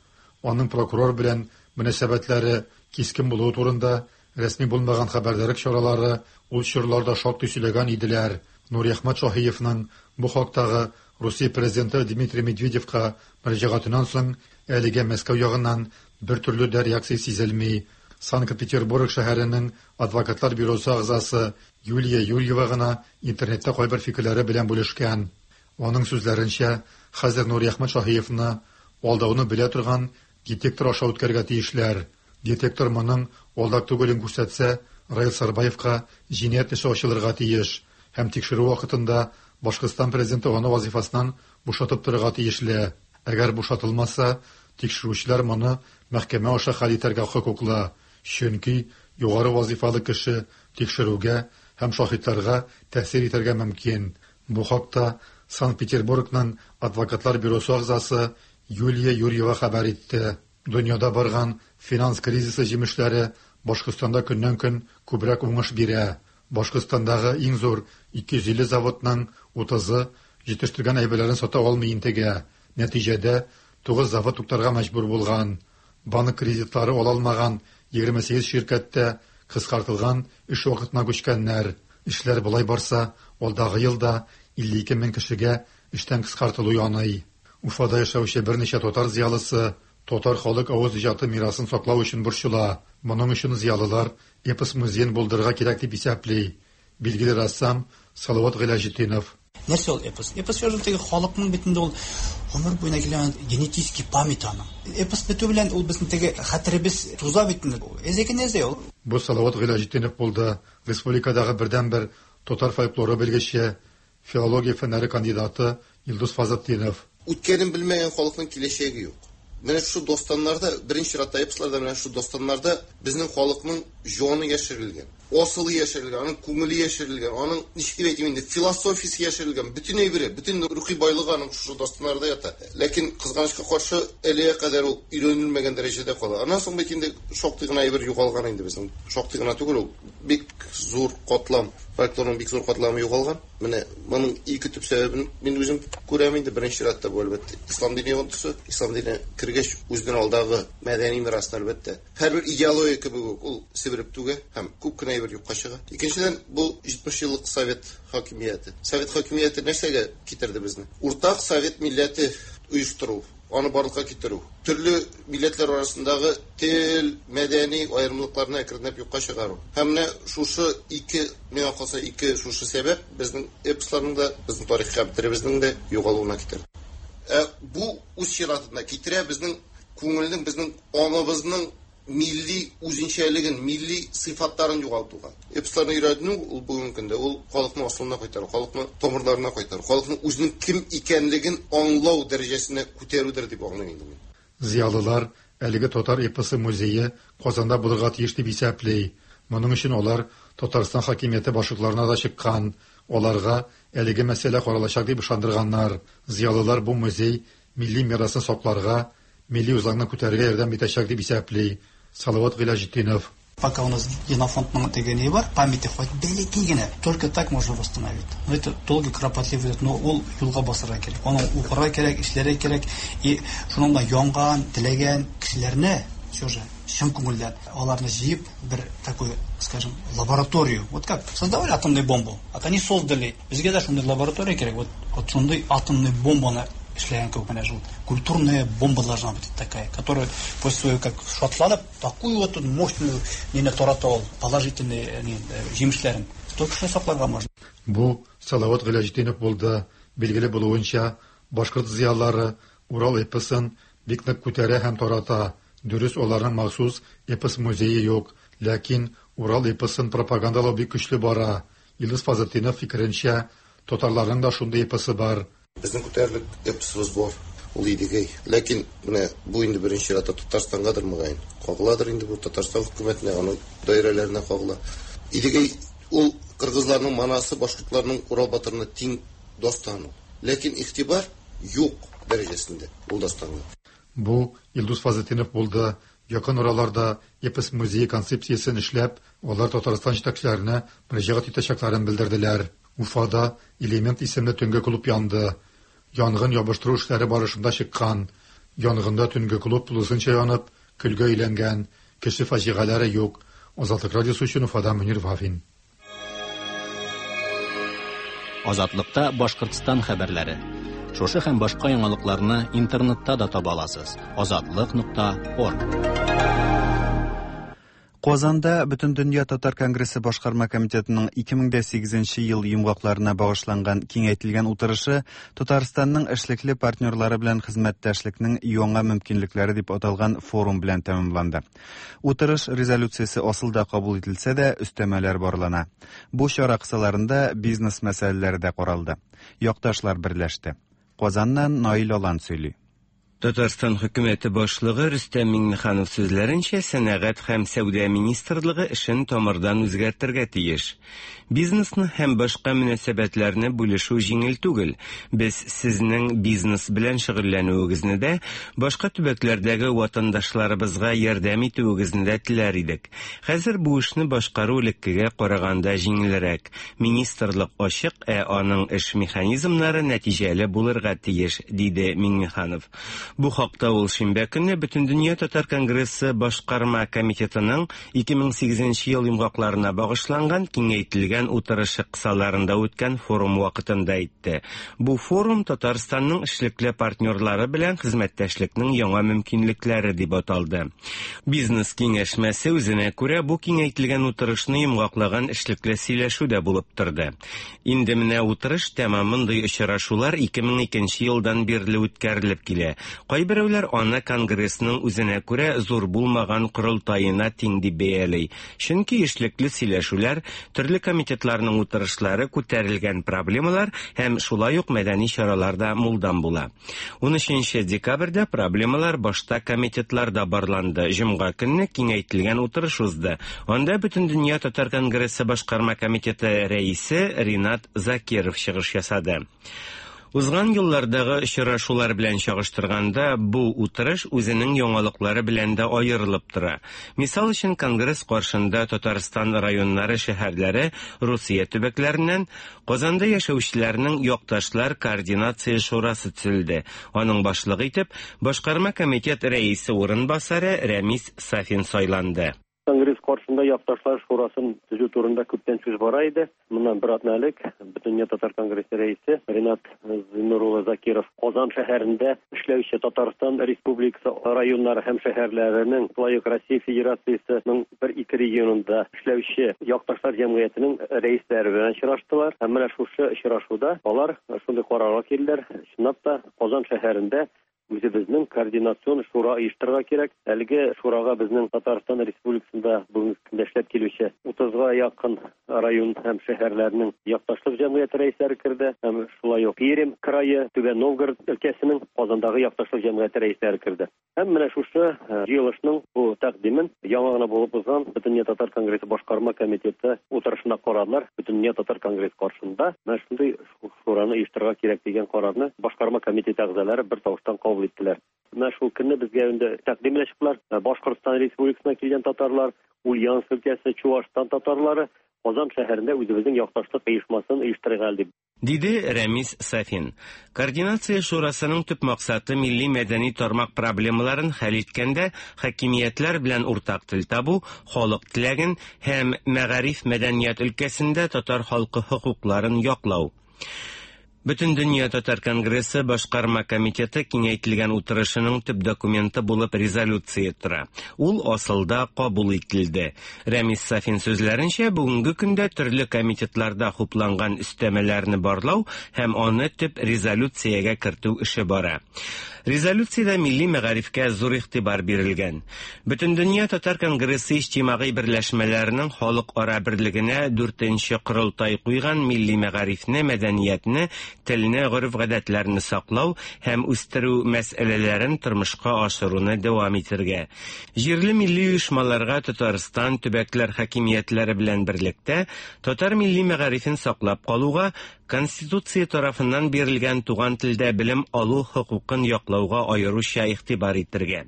Аның прокурор белән мөнәсәбәтләре кискен булуы турында рәсми булмаган хәбәрдарык чаралары ул чорларда шактый сөйләгән иделәр. Нуриәхмәт Шаһиевның бу хактагы Русия президенты Дмитрий Медведевка мөрәҗәгатеннән соң әлегә Мәскәү ягыннан бер төрле дә реакция сизелми. Санкт-Петербург шәһәренең адвокатлар бюросы әгъзасы Юлия Юрьева гына интернетта кайбер фикерләре белән бүлешкән. Аның сүзләренчә, хәзер Нуриәхмәт Шаһиевны алдауны белә торган детектор аша үткәрергә тиешләр. Детектор моның алдак түгелен күрсәтсә, Раил Сарбаевка җинаять эше ачылырга тиеш һәм тикшерү вакытында Башкортстан президенты аны вазифасыннан бушатып торырга тиешле. Әгәр бушатылмаса, тикшерүчеләр моны мәхкәмә аша хәл итәргә хокуклы, чөнки югары вазифалы кеше тикшерүгә һәм шаһитларга тәэсир итәргә мөмкин. Бу хакта Санкт-Петербургның адвокатлар бюросы әгъзасы Юлия Юрьева хәбәр итте. Дөньяда барган финанс кризисы җимешләре Башкортстанда көннән-көн күбрәк уңыш бирә. Башкортстандагы иң зур 250 заводның 30-ы җитештергән әйберләрен сата алмый интегә. Нәтиҗәдә, 9 завод туктарга мәҗбүр булган. Банк кредитлары ала алмаган 28 ширкәттә кыскартылган эш вакытына күчкәннәр. Эшләр болай барса, алдагы елда 52 мең кешегә эштән кыскартылу яный. Уфада яшәүче берничә татар зыялысы татар халык авыз иҗаты мирасын саклау өчен борчыла. Моның өчен зыялылар эпос музеен булдырырга кирәк дип исәпли. Билгеле рәссам Салават Гыйләҗетдинов. Нәрсә ул эпос? Эпос язу теге халыкның бит инде ул гомер буена килгән генетический память аның. Эпос бетү белән ул безнең теге хәтеребез туза бит инде. Эзеке нәрсә ул? Бу Салават Гыйләҗетдинов булды. Республикадагы бердәнбер татар фольклоры белгече, филология фәннәре кандидаты Илдус Фазлытдинов. Үткәнен белмәгән халыкның киләчәге юк. Менә шушы дастаннарда, беренче чиратта эпосларда, менә шушы дастаннарда безнең халыкның җаны яшерелгән, асылы яшерелгән, аның күңеле яшерелгән, аның, ничек дип әйтим инде, философиясе яшерелгән, бөтен әйбере, бөтен рухи байлыгы аның шушы дастаннарда ята. Ләкин, кызганычка каршы, әлегә кадәр ул өйрәнелмәгән дәрәҗәдә кала. Аннан соң бит инде шактый гына әйбер югалган инде безнең. Шактый гына түгел ул, бик зур катлам, фольклорның бик зур катламы югалган. Менә моның ике төп сәбәбен мин үзем күрәм инде. Беренче чиратта бу, әлбәттә, ислам дине йогынтысы. Ислам дине кергәч, үзенең алдагы мәдәни мирасны, әлбәттә, һәрбер идеология кебек үк ул себереп түгә һәм күп кенә әйбер юкка чыга. Икенчедән, бу 70 еллык совет хакимияте. Совет хакимияте нәрсәгә китерде безне? Уртак совет милләте оештыру, аны барлыкка китерү, төрле милләтләр арасындагы тел, мәдәни аерымлыкларны әкренләп юкка чыгару. Һәм менә шушы ике, миңа калса, ике шушы сәбәп безнең эпосларның да, безнең тарихи хәтеребезнең дә югалуына китерде. Ә бу үз чиратында китерә безнең күңелнең, безнең аңыбызның милли үзенчәлеген, милли сыйфатларын югалтуга. Эпосларны өйрәнү ул бүгенге көндә ул халыкны асылына кайтару, халыкны тамырларына кайтару, халыкның үзенең кем икәнлеген аңлау дәрәҗәсенә күтәрүдер дип аңлыйм инде мин. Зыялылар әлеге татар эпосы музее Казанда булырга тиеш дип исәпли. Моның өчен алар Татарстан хакимияте башлыкларына да чыккан. Аларга әлеге мәсьәлә каралачак дип ышандырганнар. Зыялылар бу музей милли мирасны сакларга, милли үзаңны күтәрергә ярдәм итәчәк дип исәпли. Салават Гыйләҗетдинов. Пока у нас генофондның теге ни бар, памяти хоть бәләкәй генә, только так можно восстановить. Но это долгий, кропотливый, но ул юлга басырга кирәк. Аны укырга кирәк, эшләргә кирәк. И шуның белән янган, теләгән кешеләрне все же чын күңелдән аларны җыеп бер такой, скажем, лабораторию. Вот как создавали атомную бомбу. Вот они создали. Безгә дә шундый лаборатория кирәк. Вот, вот шундый атомный бомбаны эшләгән кебек менә шул культурная бомба должна быть такая, которая после своего как шатланып, такую вот мощную нине тарата ул, положительный ни, җимешләрен. Только шуны сакларга можно. Бу Салават Гыйләҗетдинов булды. Билгеле булуынча, башкорт зыялылары Урал эпосын бик нык күтәрә һәм тарата. Дөрес, аларның махсус эпос музее юк, ләкин Урал эпосын пропагандалау бик көчле бара. Илдус Фазлетдинов фикеренчә, татарларның да шундый эпосы бар. Безнең күтәрерлек эпосыбыз бар, ул Идегәй. Ләкин менә бу инде беренче чиратта Татарстангадыр мөгаен. Кагыладыр инде бу Татарстан хөкүмәтенә, аның даирәләренә кагыла. Идегәй ул кыргызларның Манасы, башкортларның Урал батырына тиң дастан ул. Ләкин игътибар юк дәрәҗәсендә ул дастанга. Бу Илдус Фазлетдинов булды. Якын араларда эпос музее концепциясен эшләп, алар Татарстан җитәкчеләренә мөрәҗәгать итәчәкләрен белдерделәр. Уфада Элемент исемле төнге клуб янды. Янгын ябыштыру эшләре барышында чыккан. Янгында төнге клуб тулысынча янып, көлгә әйләнгән. Кеше фаҗигаләре юк. Азатлык радиосы өчен Уфадан Мөнир Вафин. Азатлыкта Башкортстан хәбәрләре. Шушы һәм башка яңалыкларны интернетта да таба аласыз. Азатлык.орг. Казанда Бөтендөнья татар конгрессы башкарма комитетының 2008 ел йомгакларына багышланган киңәйтелгән утырышы Татарстанның эшлекле партнерлары белән хезмәттәшлекнең яңа мөмкинлекләре дип аталган форум белән тәмамланды. Утырыш резолюциясе асылда кабул ителсә дә, өстәмәләр барлана. Бу чара кысаларында бизнес мәсьәләләре дә каралды. Якташлар берләште. Казаннан Наил Алан сөйли. Татарстан хөкүмәте башлыгы Рөстәм Миңнеханов сүзләренчә, сәнәгать һәм сәүдә министрлыгы эшен тамырдан үзгәртергә тиеш. Бизнесны һәм башка мөнәсәбәтләрне бүлешү җиңел түгел. Без сезнең бизнес белән шөгыльләнүегезне дә, башка төбәкләрдәге ватандашларыбызга ярдәм итүегезне дә теләр идек. Хәзер бу эшне башкару элеккегә караганда җиңелрәк. Министрлык ачык, ә аның эш механизмнары нәтиҗәле булырга тиеш, диде Миңнеханов. Бу хакта ул шимбә көнне Бөтендөнья татар конгрессы башкарма комитетының 2008 ел йомгакларына багышланган киңәйтелгән утырышы кысаларында үткән форум вакытында әйтте. Бу форум Татарстанның эшлекле партнерлары белән хезмәттәшлекнең яңа мөмкинлекләре дип аталды. Бизнес киңәшмәсе үзенә күрә бу киңәйтелгән утырышны йомгаклаган эшлекле сөйләшү дә булып торды. Инде менә утырыш тәмам мондый очрашулар 2002 елдан бирле үткәрелеп килә. Кайберәүләр аны конгрессның үзенә күрә зур булмаган корылтаена тиң дип бәяли. Чөнки эшлекле сөйләшүләр, төрле комитетларның утырышлары, күтәрелгән проблемалар һәм шулай ук мәдәни чаралар да мулдан була. 13 декабрьдә проблемалар башта комитетларда барланды. Җомга көнне киңәйтелгән утырыш узды. Анда Бөтендөнья татар конгрессы башкарма комитеты рәисе Ринат Закиров чыгыш ясады. Узган еллардагы очрашулар белән чагыштырганда, бу утырыш үзенең яңалыклары белән дә аерылып тора. Мисал өчен, конгресс каршында Татарстан районнары, шәһәрләре, Русия төбәкләреннән Казанда яшәүчеләрнең якташлар координация шурасы төзелде. Аның башлыгы итеп башкарма комитет рәисе урынбасары Рәмис Сафин сайланды. Конгресс каршында якташлар шурасын төзү турында күптән сүз бара иде. Моннан бер атна элек Бөтендөнья татар конгрессы рәисе Ринат Зиннур улы Закиров Казан шәһәрендә эшләүче Татарстан Республикасы районнары һәм шәһәрләренең, шулай ук Россия Федерациясенең бер-ике регионында эшләүче якташлар җәмгыятенең рәисләре белән очраштылар. Һәм менә шушы очрашуда алар шундый карарга килделәр, чынлап та Казан шәһәрендә Үзебезнең координацион шура оештырырга кирәк. Әлеге шурага безнең Татарстан Республикасында бүгенге көндә эшләп килүче 30-га якын район һәм шәһәрләрнең якташлык җәмгыяте рәисләре керде һәм шулай ук Пермь крае, Түбән Новгород өлкәсенең Казандагы якташлык җәмгыяте рәисләре керде. Һәм менә шушы җыелышның бу тәкъдимен яңа гына булып узган Бөтендөнья татар конгрессы башкарма комитеты утырышында карадылар. Бөтендөнья татар конгрессы каршында менә шундый шураны оештырырга кирәк дигән карарны башкарма комитеты әгъзалары бер тавыштан кабул иттеләр. Менә шул көнне безгә инде тәкъдим белән чыктылар. Башкортстан Республикасыннан килгән татарлар, Ульяновск өлкәсе, Чуашстан татарлары Казан шәһәрендә үзебезнең якташлык оешмасын оештырыйк әле дип. Диде Рәмис Сафин. Координация шурасының төп максаты милли мәдәни тармак проблемаларын хәл иткәндә хакимиятләр белән уртак тел табу, халык теләген һәм мәгариф-мәдәният өлкәсендә татар халкы хокукларын яклау. Бөтендөнья татар конгрессы башкарма комитеты киңәйтелгән утырышының төп документы булып резолюция тора. Ул асылда кабул ителде. Рәмис Сафин сүзләренчә, бүгенге көндә төрле комитетларда хупланган өстәмәләрне барлау һәм аны төп резолюциягә кертү эше бара. Резолюциядә милли мәгарифкә зур игътибар бирелгән. Бөтендөнья татар конгрессы иҗтимагый берләшмәләренең халыкара берлегенә дүртенче корылтай куйган милли мәгарифне, мәдәниятне, телне, гореф-гадәтләрне саклау һәм үстерү мәсьәләләрен тормышка ашыруны дәвам итергә. Җирле милли оешмаларга Татарстан төбәкләр хакимиятләре белән берлектә татар милли мәгарифен саклап калуга, Конституция тарафыннан бирелгән туган телдә белем алу хокукын яклауга аеруча игътибар итергә.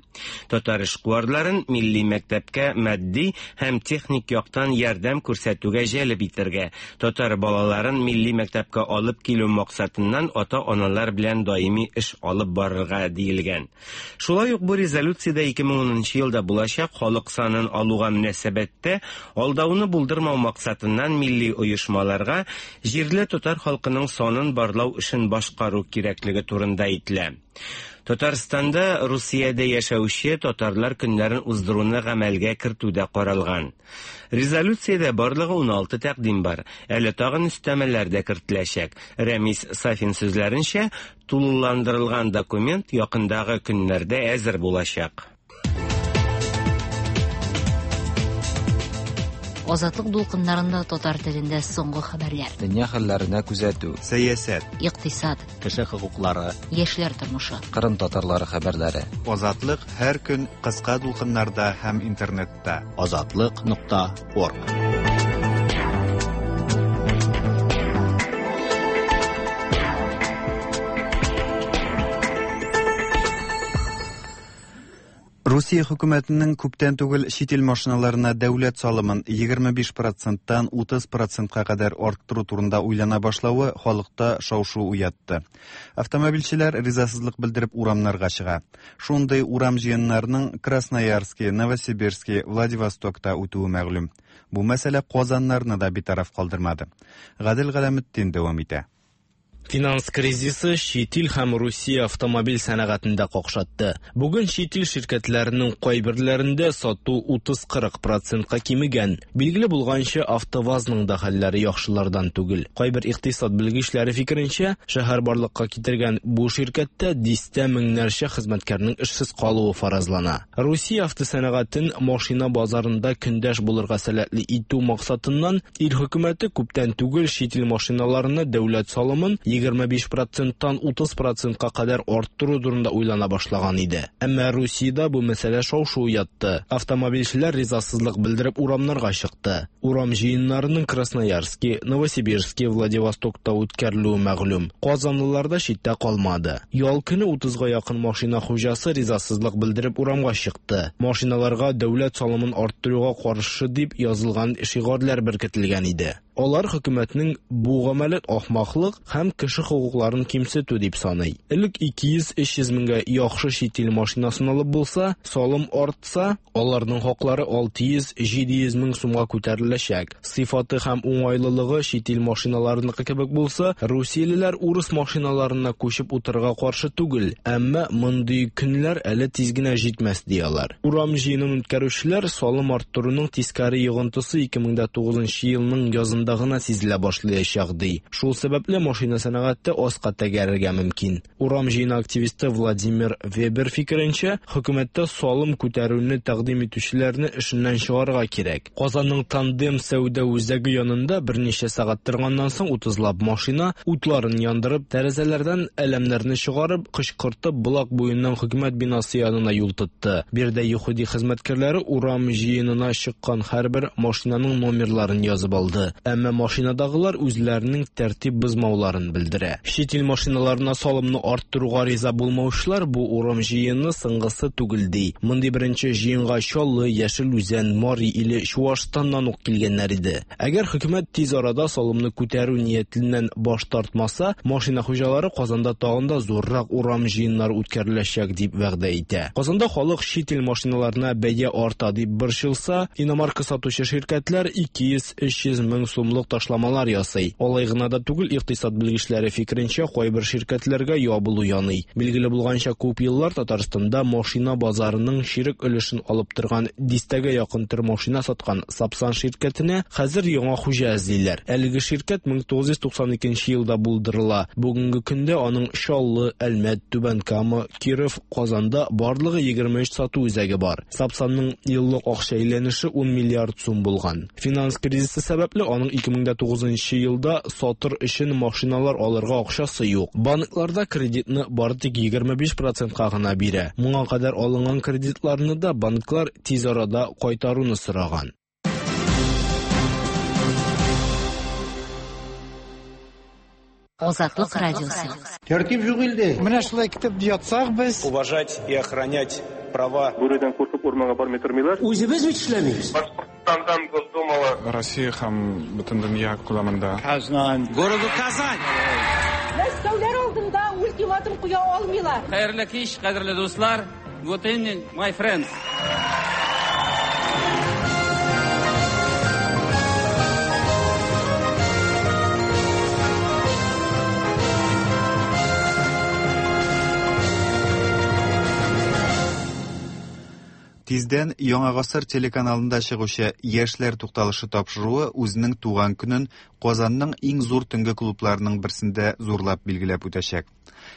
Татар эшкуарларын милли мәктәпкә матди һәм техник яктан ярдәм күрсәтүгә җәлеп итергә, татар балаларын милли мәктәпкә алып килү максатыннан ата-аналар белән даими эш алып барырга диелгән. Шулай ук бу резолюциядә 2010 нчы елда булачак халык санын алуга мөнәсәбәттә алдауны булдырмау максатыннан милли оешмаларга җирле татар халкының санын барлау эшен башкару кирәклеге турында әйтелә. Татарстанда Русиядә яшәүче татарлар көннәрен уздыруны гамәлгә кертү дә каралган. Резолюциядә барлыгы 16 тәкъдим бар. Әле тагын өстәмәләр дә кертеләчәк. Рәмис Сафин сүзләренчә, Тулыландырылган документ якындагы көннәрдә әзер булачак. Азатлык дулкыннарында татар телендә соңгы хәбәрләр. Дөнья хәлләренә күзәтү. Сәясәт. Икътисад. Кеше хокуклары. Яшьләр тормышы. Кырым татарлары хәбәрләре. Азатлык һәр көн кыска дулкыннарда һәм интернетта. Азатлык нокта орг. Русия хөкүмәтенең күптән түгел чит ил машиналарына дәүләт салымын 25 проценттан 30 процентка кадәр арттыру турында уйлана башлавы халыкта шау-шу уятты. Автомобильчеләр ризасызлык белдереп урамнарга чыга. Шундый урам җыеннарының Красноярске, Новосибирске, Владивостокта үтүе мәгълүм. Бу мәсьәлә казаннарны да битараф калдырмады. Гадел Галәметдин дәвам итә. Финанс кризисы чит ил һәм Русия автомобиль сәнәгатен дә какшатты. Бүген чит ил ширкәтләренең кайберләрендә сату 30-40 процентка кимегән. Билгеле булганча, АвтоВАЗның да хәлләре яхшылардан түгел. Кайбер икътисад белгечләре фикеренчә, шәһәр барлыкка китергән бу ширкәттә дистә меңнәрчә хезмәткәрнең эшсез калуы фаразлана. Русия автосәнәгатен машина базарында көндәш булырга сәләтле итү максатыннан ил хөкүмәте күптән түгел чит ил машиналарына дәүләт салымын 25 проценттан 30 процентка кадәр арттыру турында уйлана башлаган иде. Әмма Русиядә бу мәсьәлә шау-шу уятты. Автомобильчеләр ризасызлык белдереп урамнарга чыкты. Урам җыеннарының Красноярске, Новосибирске, Владивостокта үткәрелүе мәгълүм. Казанлылар да читтә калмады. Ял көне 30-га якын машина хуҗасы ризасызлык белдереп урамга чыкты. Машиналарга дәүләт салымын арттыруга каршы дип язылган шигарләр беркетелгән иде. Алар хөкүмәтнең бу гамәлен ахмаклык һәм кеше хокукларын кимсетү дип саный. Элек 200-300 меңгә яхшы чит ил машинасын алып булса, салым артса, аларның хаклары 600-700 мең сумга күтәреләчәк. Сыйфаты һәм уңайлылыгы чит ил машиналарыныкы кебек булса, русиялеләр урыс машиналарына күчеп утырырга каршы түгел, әмма мондый көннәр әле тиз генә җитмәс, ди алар. Урам җыенын үткәрүчеләр салым арттыруның тискәре йогынтысы 2009 елның язында гына сизелә башлаячак, ди. Шул сәбәпле машина сәнәгате аска тәгәрергә мөмкин. Урам җыены активисты Владимир Вебер фикеренчә, хөкүмәттә салым күтәрүне тәкъдим итүчеләрне эшеннән чыгарырга кирәк. Казанның Тандем сәүдә үзәге янында берничә сәгать торганнан соң утызлап машина, утларын яндырып, тәрәзәләрдән әләмнәрне чыгарып, кычкыртып, Болак буеннан хөкүмәт бинасы янына юл тотты. Биредә ЮХИДИ хезмәткәрләре урам җыенына чыккан һәрбер машинаның номерларын язып алды. Әмма машинадагылар үзләренең тәртип бозмауларын белдерә. Чит ил машиналарына салымны арттыруга риза булмаучылар бу урам җыены соңгысы түгел ди. Мондый беренче җыенга Чаллы, Яшел Үзән, Мари Иле, Чуашстаннан ук килгәннәр иде. Әгәр хөкүмәт тиз арада салымны күтәрү ниятеннән баш тартмаса, машина хуҗалары Казанда тагын да зуррак урам җыеннары үткәреләчәк дип вәгъдә итә. Казанда халык чит ил машиналарына бәя арта дип борчылса, иномарка сатучы ширкәтләр 200-300 мең сумлык ташламалар ясый. Алай гына да түгел, икътисад белгечләре фикеренчә, кайбер ширкәтләргә ябылу яный. Билгеле булганча, күп еллар Татарстанда машина базарының чирек өлешен алып торган дистәгә якын төр машина саткан Сапсан ширкәтенә хәзер яңа хуҗа эзлиләр. Әлеге ширкәт 1992 елда булдырыла. Бүгенге көндә аның Чаллы, Әлмәт, Түбән Кама, Киров, Казанда барлыгы 23 сату үзәге бар. Сапсанның еллык акча әйләнеше 10 миллиард сум булган. Финанс кризисы сәбәпле аның 2009 елда сатыр өчен машиналар алырга акчасы юк. Банкларда кредитны бары тик 25 процентка гына бирә. Моңа кадәр алынган кредитларны да банклар тиз арада кайтаруны сораган. Азатлык радиосы. Тәртип юк илдә. Менә шулай китеп ятсак без. Уважать и охранять права. Бүредән куркып урманга бармый тормыйлар. Үзебез бит эшләмибез. Башкортстандан Госдумала. Россия һәм бөтен дөнья күләмендә. Казан. Городу Казань. Мәскәүләр алдында ультиматум куя алмыйлар. Хәерле кич, кадерле дуслар. Good evening, my friends. Тиздән Яңа гасыр телеканалында чыгучы Яшьләр тукталышы тапшыруы үзенең туган көнен Казанның иң зур төнге клубларының берсендә зурлап билгеләп үтәчәк.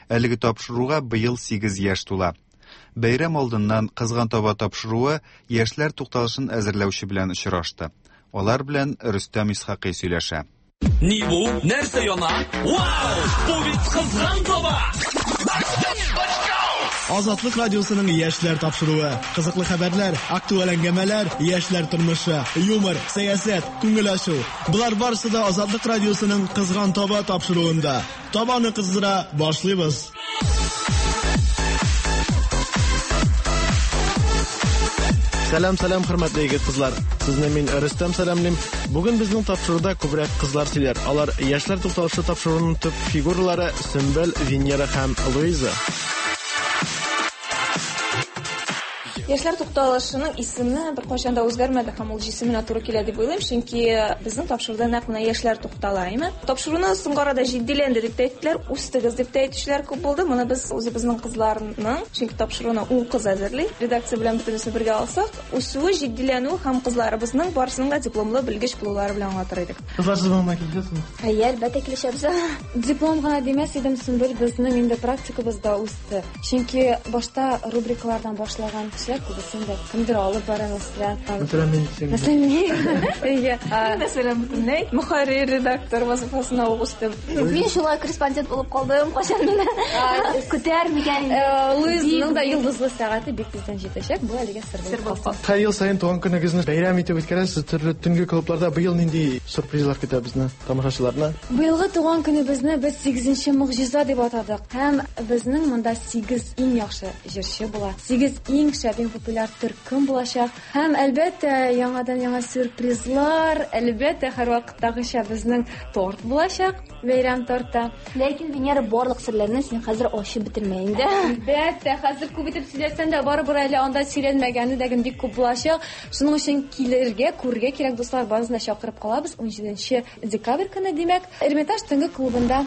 Әлеге тапшыруга быел 8 яшь тула. Бәйрәм алдыннан Кызган таба тапшыруы Яшьләр тукталышын әзерләүче белән очрашты. Алар белән Рөстәм Исхакый сөйләшә. Ни бу? Нәрсә яна? Вау! Бу бит кызган таба! Азатлык радиосының яшьләр тапшыруы. Кызыклы хәбәрләр, актуаль әңгәмәләр, яшьләр тормышы, юмор, сәясәт, күңел ачу. Болар барысы да Азатлык радиосының Кызган таба тапшыруында. Табаны кыздыра башлыйбыз. Сәлам, сәлам, хөрмәтле егет кызлар. Сезне мин Рөстәм сәламлим. Бүген безнең тапшыруда күбрәк кызлар сөйләр. Алар яшьләр тукталышы тапшыруының төп фигуралары Сөмбел, Венера һәм Луиза. Яшьләр тукталышының исеме беркайчан да үзгәрмәде һәм ул җисеменә туры килә дип уйлыйм, чөнки безнең тапшыруда нәкъ менә яшьләр туктала, әйме? Тапшыруны соңгы арада җитдиләнде дип тә әйттеләр, үстегез дип тә әйтүчеләр күп булды. Моны без үзебезнең кызларның, чөнки тапшыруны ун кыз әзерли, редакция белән бөтенесен бергә алсак, үсүе, җитдиләнүе һәм кызларыбызның барысының да дипломлы белгеч булулары белән аңлатыр идек. Кызлар, сез моңа килешәсезме? Әйе, әлбәттә килешәбез. Диплом гына димәс идем, Сөмбел, безнең инде практикабыз да үсте. Чөнки башта рубрикалардан башлаган кешеләр күбесен дә кемдер алып бара, мәсәлән. Мәсәлән, мин син. Мәсәлән, мин. Әйе. Мин, мәсәлән, бөтенләй мөхәррир, редактор вазыйфасына ук үстем. Мин шулай корреспондент булып калдым, кайчан мине көтәр микән? Луизның да йолдызлы сәгате бик тиздән җитәчәк, бу әлегә сер булып калсын. Һәр ел саен туган көнегезне бәйрәм итеп үткәрәсез, төрле төнге клубларда. Быел нинди сюрпризлар көтә безне, тамашачыларны? Быелгы туган көнебезне без сигезенче могҗиза дип атадык. Һәм безнең монда сигез иң яхшы җырчы була, сигез иң шәп, иң популяр төркем булачак. Һәм, әлбәттә, яңадан-яңа сюрпризлар, әлбәттә, һәрвакыттагыча безнең торт булачак, бәйрәм торты. Ләкин, Венера, барлык серләрне син хәзер ачып бетермә инде. Әлбәттә, хәзер күп итеп сөйләсәм дә, барыбер әле анда сөйләнмәгәне дә бик күп булачак. Шуның өчен килергә, күрергә кирәк, дуслар, барысын да чакырып калабыз. Унҗиденче декабрь көне, димәк, Эрмитаж төнге клубында.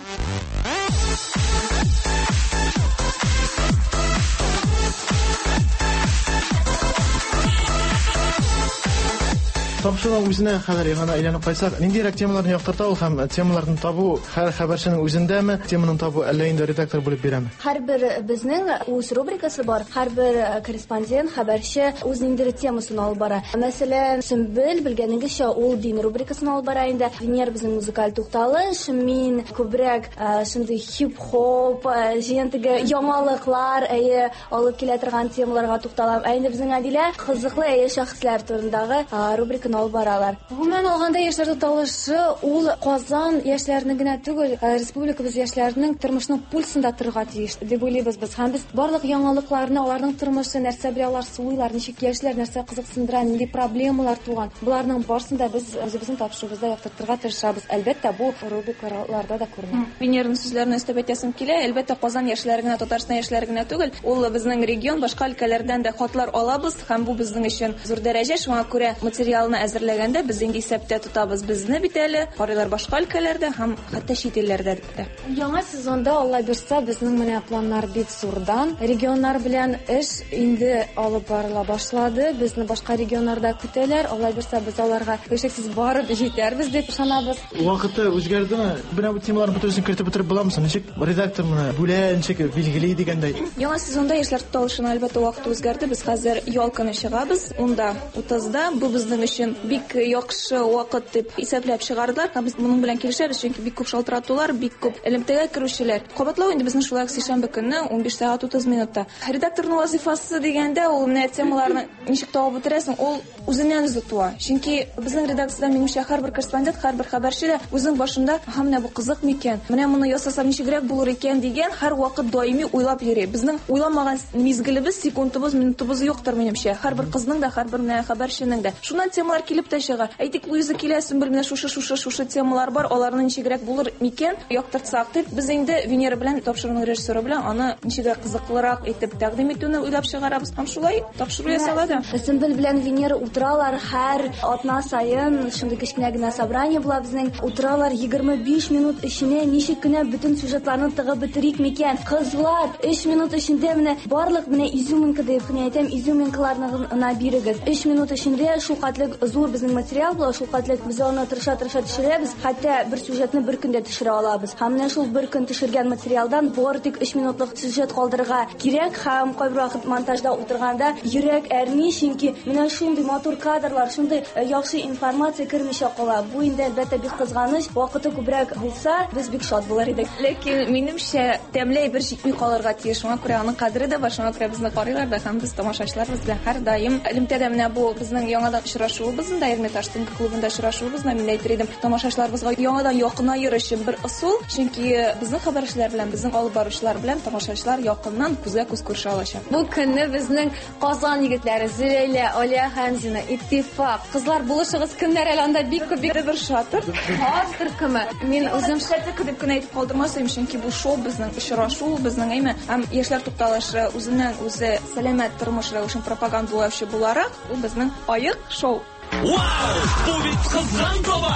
Тапшыруның үзенә хәзер яңадан әйләнеп кайтсак, ниндирәк темаларны яктырта ул һәм темаларны табу һәр хәбәрченең үзендәме, теманы табу әллә инде редактор бүлеп бирәме? Һәрбер безнең үз рубрикасы бар, һәрбер корреспондент, хәбәрче үз ниндидер темасын алып бара. Мәсәлән, Сөмбел, белгәнегезчә, ул дин рубрикасын алып бара инде. Венера безнең музыкаль тукталыш, мин күбрәк шундый хип-хоп, җыен теге яңалыклар, әйе, алып килә торган темаларга тукталам. Ә инде безнең Әдилә кызыклы әйе шәхесләр турындагы рубриканы алып баралар. Гомумән алганда, яшьләр тукталышы ул Казан яшьләренең генә түгел, республикабыз яшьләренең тормышының пульсында торырга тиеш дип уйлыйбыз без. Һәм без барлык яңалыкларны, аларның тормышы, нәрсә белән алар сулыйлар, ничек яшьләр, нәрсә кызыксындыра, нинди проблемалар туган, боларның барысын да без үзебезнең тапшыруыбызда яктыртырга тырышабыз. Әлбәттә, бу рубрикаларда да күренә. Венераның сүзләренә өстәп әйтәсем килә, әлбәттә, Казан яшьләре генә, Татарстан яшьләре генә түгел, ул безнең регион, башка өлкәләрдән дә хатлар алабыз һәм бу безнең өчен зур дәрәҗә. Шуңа күрә материалны әзерләгәндә без инде исәптә тотабыз. Безне бит әле карыйлар башка өлкәләрдә һәм хәтта чит илләрдә дә. Яңа сезонда, Алла бирса, безнең менә планнар бик зурдан. Регионнар белән эш инде алып барыла башлады. Безне башка регионнарда көтәләр. Алла бирса, без аларга һичшиксез барып җитәрбез дип ышанабыз. Вакыты үзгәрдеме? Менә бу темаларны бөтенесен кертеп бетереп буламы соң? Ничек редактор моны бүлә, ничек билгели дигәндәй? Яңа сезонда яшьләр тукталышына, әлбәттә, вакыт үзгәрде. Без хәзер ял көне чыгабыз. 10-да 30-да. Бу безнең өчен бик яхшы вакыт дип исәпләп чыгардылар. Һәм без моның белән килешәбез, чөнки бик күп шалтыратулар, бик күп элемтәгә керүчеләр. Кабатлау инде безнең шулай ук сишәмбе көнне 15 сәгать 30 минутта. Редакторның вазифасы дигәндә, ул менә темаларны ничек табып бетерәсең, ул үзеннән үзе туа. Чөнки безнең редакциядә, минемчә, һәрбер корреспондент, һәрбер хәбәрче дә үзенең башында, аһа, менә бу кызык микән, менә моны ясасам ничегрәк булыр икән дигән һәрвакыт даими уйлап йөри. Безнең уйламаган мизгелебез, секундыбыз, минутыбыз юктыр, минемчә. Һәрбер кызның да, һәрбер менә хәбәрченең дә. Шуннан темалар килеп тә чыга. Әйтик, Луиза килә, Сөмбел, менә шушы, шушы, шушы темалар бар, аларны ничегрәк булыр микән, яктыртсак дип, без инде Венера белән, тапшыруның режиссеры белән аны ничегрәк кызыклырак итеп тәкъдим итүне уйлап чыгарабыз. Һәм шулай тапшыру ясала да. Сөмбел белән Венера утыралар һәр атна саен, шундый кечкенә генә собрание була безнең. Утыралар 25 минут эченә ничек кенә бөтен сюжетларны тыгып бетерик микән? Кызлар, 3 минут эчендә менә барлык менә изюминка дип кенә әйтәм, изюминкаларны гына бирегез. 3 минут эчендә шул хәтле зур безнең материал була, шул хәтле без аны тырыша-тырыша төшерәбез, хәтта бер сюжетны бер көндә төшерә алабыз. Һәм менә шул бер көн төшергән материалдан бары тик 3 минутлык сюжет калдырырга кирәк һәм кайбер вакыт монтажда утырганда йөрәк әрни, чөнки менә шундый матур кадрлар, шундый яхшы информация кермичә кала. Бу инде, әлбәттә, бик кызганыч. Вакыты күбрәк булса, без бик шат булыр идек. Ләкин, минемчә, тәмле әйбер җитми калырга тиеш. Шуңа күрә аның кадере дә бар, шуңа күрә безне карыйлар да һәм без тамашачыларыбыз белән һәрдаим элемтәдә. Менә бу безнең яңадан очрашуыбыз да, Эрмитаж төнге клубында очрашуыбыз да, мин әйтер идем, тамашачыларыбызга яңадан якынаер өчен бер ысул, чөнки безнең хәбәрчеләр белән, безнең алып баручылар белән тамашачылар якыннан күзгә-күз күрешә алачак. Бу көнне безнең Казан егетләре Зөләйлә, Алия Хәмзина, Иттифак, кызлар булышыгыз, кемнәр әле анда бик күп, бик бер шатыр. Хас төркеме. Мин үзем шатыр дип кенә әйтеп калдырмас идем, чөнки бу шоу безнең очрашу, безнең әйме һәм яшьләр тукталышы үзеннән үзе сәламәт тормыш рәвешен пропагандалаучы буларак, ул безнең аек шоу. Вау! Бу бит кызган таба!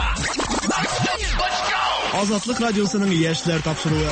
Азатлык радиосының яшьләр тапшыруы.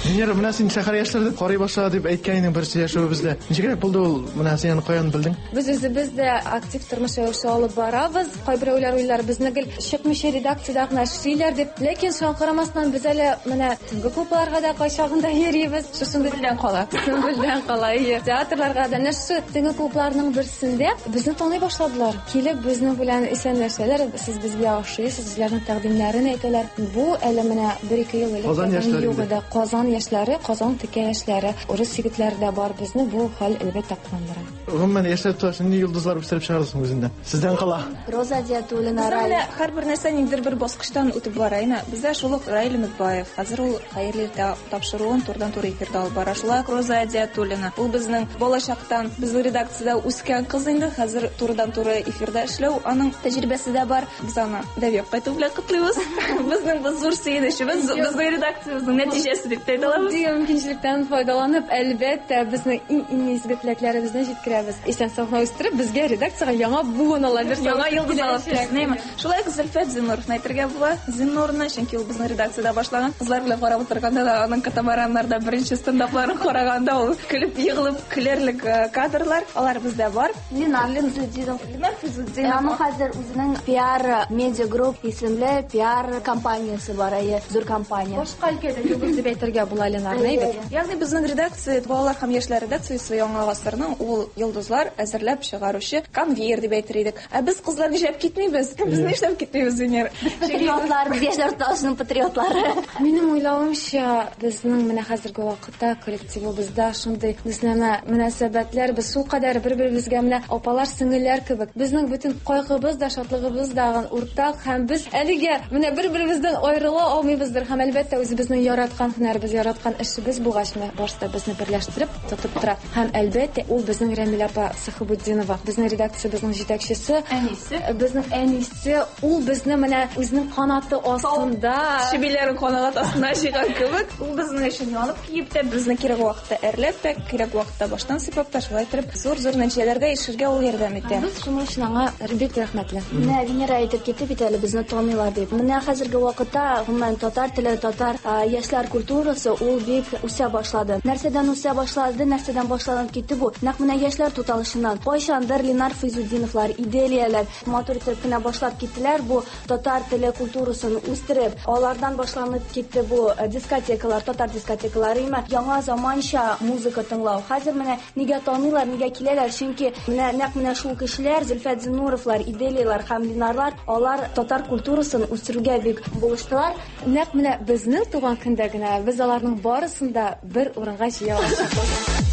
Венера, менә син шәһәр яшьләре дип карый башла дип әйткән идең бер сөйләшүебездә. Ничегрәк булды ул? Менә син аны каян белдең? Без үзебез дә актив тормыш рәвеше алып барабыз. Кайберәүләр уйлар, безне гел чыкмыйча редакциядә генә эшлиләр дип. Ләкин шуңа карамастан без әле менә төнге клубларга да кайчагында йөрибез. Шушындый Сөмбелдән кала. Сөмбелдән кала, әйе. Театрларга да. Менә шушы төнге клубларның берсендә безне таный башладылар. Килеп безнең белән исәнләшәләр, сез безгә ошыйсыз, үзләренең тәкъдимнәрен әйтәләр. Бу әле менә бер-ике ел элек Казан яшьләре юк иде. Казан яшьләре, Казан текә яшьләре, урыс егетләре дә бар. Безне бу хәл, әлбәттә, куандыра. Гомумән, яшьләр туташ нинди йолдызлар үстереп чыгарды соң үзендә? Сездән кала. Роза Диатуллина, Безнең Раил. менә һәрбер нәрсә ниндидер бер баскычтан үтеп бара. Әйме, бездә шул ук Раил Өметбаев. Хәзер ул Хәерле иртә тапшыруын турыдан-туры эфирда алып бара. Шулай ук Роза Диатуллина. Ул безнең балачактан безнең редакциядә үскән кыз инде. Хәзер турыдан-туры эфирда эшләү аның тәҗрибәсе дә бар. Без аны дәвеп кайту белән котлыйбыз. Безнең бу зур сөенечебез, безнең редакциябезнең нәтиҗәсе дип тә әйтә әйтә алабыз. Мондый мөмкинчелектән файдаланып, әлбәттә, безнең иң-иң изге теләкләребезне җиткерәбез. Исән-сау гына үстереп, безгә редакциягә яңа буын ала бирсә. Яңа йолдыз алып килсен, әйме? Шулай ук Зөлфәт Зиннуровны әйтергә була. Зиннурны, чөнки ул безнең редакциядә башлаган. Кызлар белән карап утырганда да аның катамараннарда беренче стендапларын караганда ул көлеп егылып көләрлек э, кадрлар. Алар бездә бар. Ленар Физутдинов. Ленар Физутдинов. Аның хәзер үзенең PR Media Group исемле PR компаниясе бар, әйе, зур компания. Башка өлкәдә йолдыз дип әйтергә була Ленарны, әйбәт. Ягъни безнең редакция балалар һәм яшьләр редакциясе Яңа гасырның ул йолдызлар әзерләп чыгаручы конвейер дип әйтер идек. Ә без кызлар нишләп китмибез? Без нишләп китмибез, Венера? Без патриотлар, без яшьләр тукталышының патриотлары. Минем уйлавымча, безнең менә хәзерге вакытта коллективыбызда шундый дустанә мөнәсәбәтләр, без шулкадәр бер-беребезгә менә апалар, сеңелләр кебек. Безнең бөтен кайгыбыз да, шатлыгыбыз да уртак һәм без әлегә менә бер-беребездән аерыла алмыйбыздыр һәм әлбәттә үзебезнең яраткан һөнәребез, яраткан эшебез булгач, менә барысы да безне берләштереп тотып тора. Һәм әлбәттә, ул безнең Рәмилә апа Сәхибутдинова, безнең редакциябезнең җитәкчесе. Әнисе. Безнең әнисе, ул безне менә үзенең канаты астында. Чебиләрен канат астына җыйган кебек, ул безнең өчен янып киеп тә, безне кирәк вакытта әрләп тә, кирәк вакытта баштан сыйпап та, шулай итеп зур-зур нәтиҗәләргә ирешергә ул ярдәм итә. Без шуның өчен аңа бик рәхмәтле. Менә Венера әйтеп китте бит әле, безне таныйлар дип. Менә хәзерге вакытта, гомумән, татар теле, татар яшьләр культурасы ул бик үсә башлады. Нәрсәдән үсә башлады, нәрсәдән башланып китте бу? Нәкъ менә яшьләр туталышыннан. Кайчандыр Ленар Фәйзутдиновлар, Иделияләр матур итеп кенә башлап киттеләр бу татар теле культурасын үстереп. Алардан башланып китте бу дискотекалар, татар дискотекалары, имә яңа заманча музыка тыңлау. Хәзер менә нигә таныйлар, нигә киләләр? Чөнки менә нәкъ менә шул кешеләр, Зөлфәт Зиннуровлар, Иделияләр һәм Ленарлар, алар татар культурасын үстерүгә бик булыштылар. Нәкъ менә безнең туган көндә генә без аларның барысын да бер урынга җыя алачакбыз.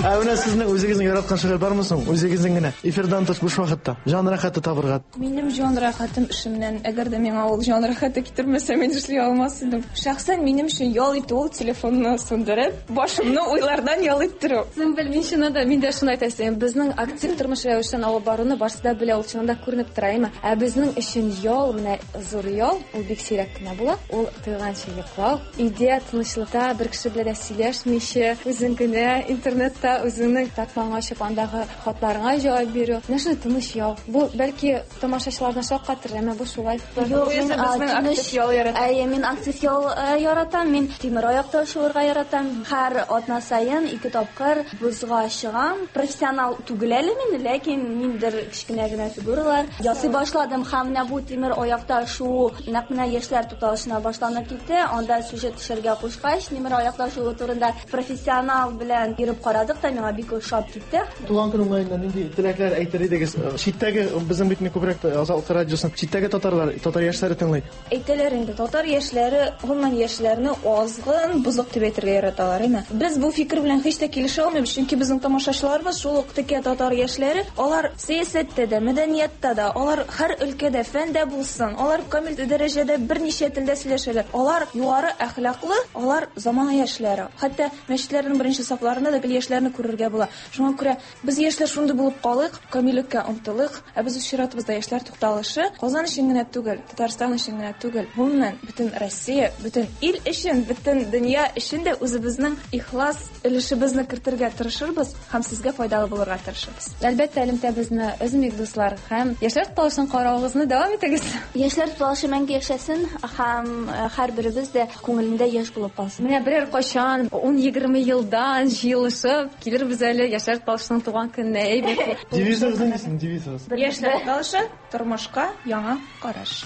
Ә менә сезнең үзегезнең яраткан шөгыль бармы соң? Үзегезнең генә эфирдан тыш буш вакытта җан рәхәте табырга. Минем җан рәхәтем эшемнән. Әгәр дә миңа ул җан рәхәте китермәсә, мин эшли алмас идем. Шәхсән минем өчен ял итү ул телефонны сүндереп, башымны уйлардан ял иттерү. Сөмбел, мин чыннан да, мин дә шуны әйтәсем. Безнең актив тормыш рәвешен алып баруны барысы да белә, ул чыннан да күренеп тора, әйме? Ә безнең өчен ял, менә зур ял, ул бик сирәк кенә була. Ул туйганчы йоклау, өйдә тынычлыкта бер кеше белән дә сөйләшмичә, үзең генә интернетта үзеңнең тартмаңа ачып, андагы хатларыңа җавап бирү. Менә шундый тыныч ял. Бу бәлки тамашачыларны шаккатырыр, әмма бу шулай. Юк, мин актив ял яратам. Әйе, мин актив ял яратам. Мин тимер аякта шуырга яратам. Һәр атна саен ике тапкыр бозга чыгам. Профессионал түгел әле мин, ләкин ниндидер кечкенә генә фигуралар ясый башладым. Һәм менә бу тимер аякта шуу нәкъ менә яшьләр тукталышына башланып китте. Анда сюжет төшәргә кушкач, тимер аякта шуу турында профессионал белән йөреп карадык та, миңа бик ошап китте. Туган көн уңаеннан нинди теләкләр әйтер идегез? Читтәге безнең бит күбрәк Азатлык радиосын читтәге татарлар, татар яшьләре тыңлый. Әйтәләр инде, татар яшьләре, гомумән яшьләрне азгын, бозык дип әйтергә яраталар, әйме? Без бу фикер белән һич тә килешә алмыйбыз, чөнки безнең тамашачыларыбыз шул ук текә татар яшьләре, алар сәясәттә дә, мәдәниятта да, алар һәр өлкәдә, фәндә булсын, алар камил дәрәҗәдә берничә телдә сөйләшәләр. Алар югары әхлаклы, алар замана яшьләре. Хәтта мәчетләрнең беренче сафларында да гел яшьләрне күрергә була. Шуңа күрә без яшьләр шундый булып калыйк, камиллеккә омтылыйк, ә без үз чиратыбызда яшьләр тукталышы Казан өчен генә түгел, Татарстан өчен генә түгел, гомумән, бөтен Россия, бөтен ил өчен, бөтен дөнья өчен дә үзебезнең ихлас өлешебезне кертергә тырышырбыз һәм сезгә файдалы булырга тырышырбыз. Әлбәттә, элемтәбезне өзмик, дуслар, һәм яшьләр тукталышын каравыгызны дәвам итегез. Яшьләр тукталышы мәңге яшәсен һәм һәрберебез дә күңелендә яшь булып калсын. Менә берәр кайчан 10-20 елдан җыелышып килербез әле яшьләр тукталышының туган көненә, әйбәт. Девизыгыз нинди сезнең девизыгыз? Яшьләр тукталышы, тормышка яңа караш.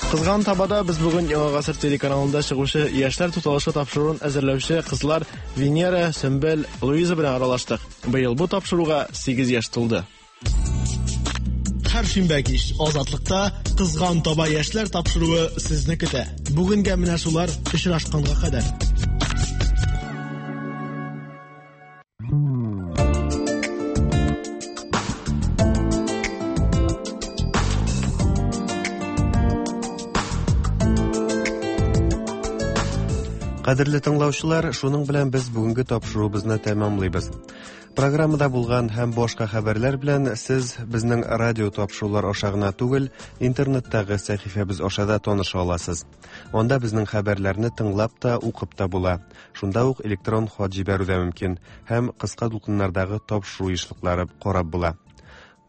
Кызган табада без бүген Яңа гасыр телеканалында чыгучы Яшьләр тукталышы тапшыруын әзерләүче кызлар Венера, Сөмбел, Луиза белән аралаштык. Быел бу тапшыруга 8 яшь тулды. Һәр шимбә кич Азатлыкта Кызган таба яшьләр тапшыруы сезне көтә. Бүгенгә менә шулар, очрашканга кадәр. Кадерле тыңлаучылар, шуның белән без бүгенге тапшыруыбызны тәмамлыйбыз. Программада булган һәм башка хәбәрләр белән сез безнең радио тапшырулар аша гына түгел, интернеттагы сәхифәбез аша да таныша аласыз. Анда безнең хәбәрләрне тыңлап та, укып та була. Шунда ук электрон хат җибәрү дә мөмкин һәм кыска дулкыннардагы тапшыру ешлыклары карап була.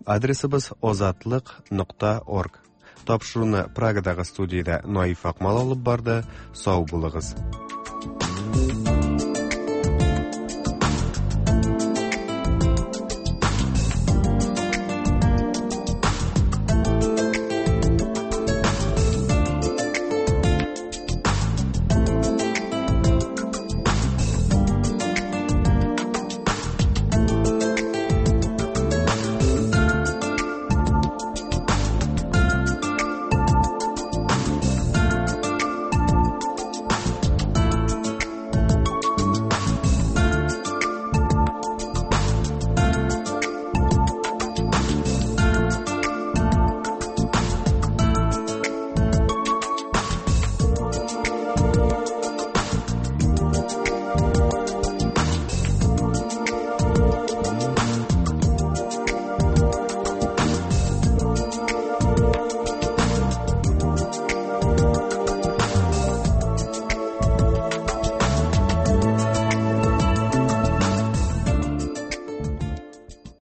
Адресыбыз озатлык.орг. Тапшыруны Прагадагы студиядә Наиф Акмал алып барды. Сау булыгыз.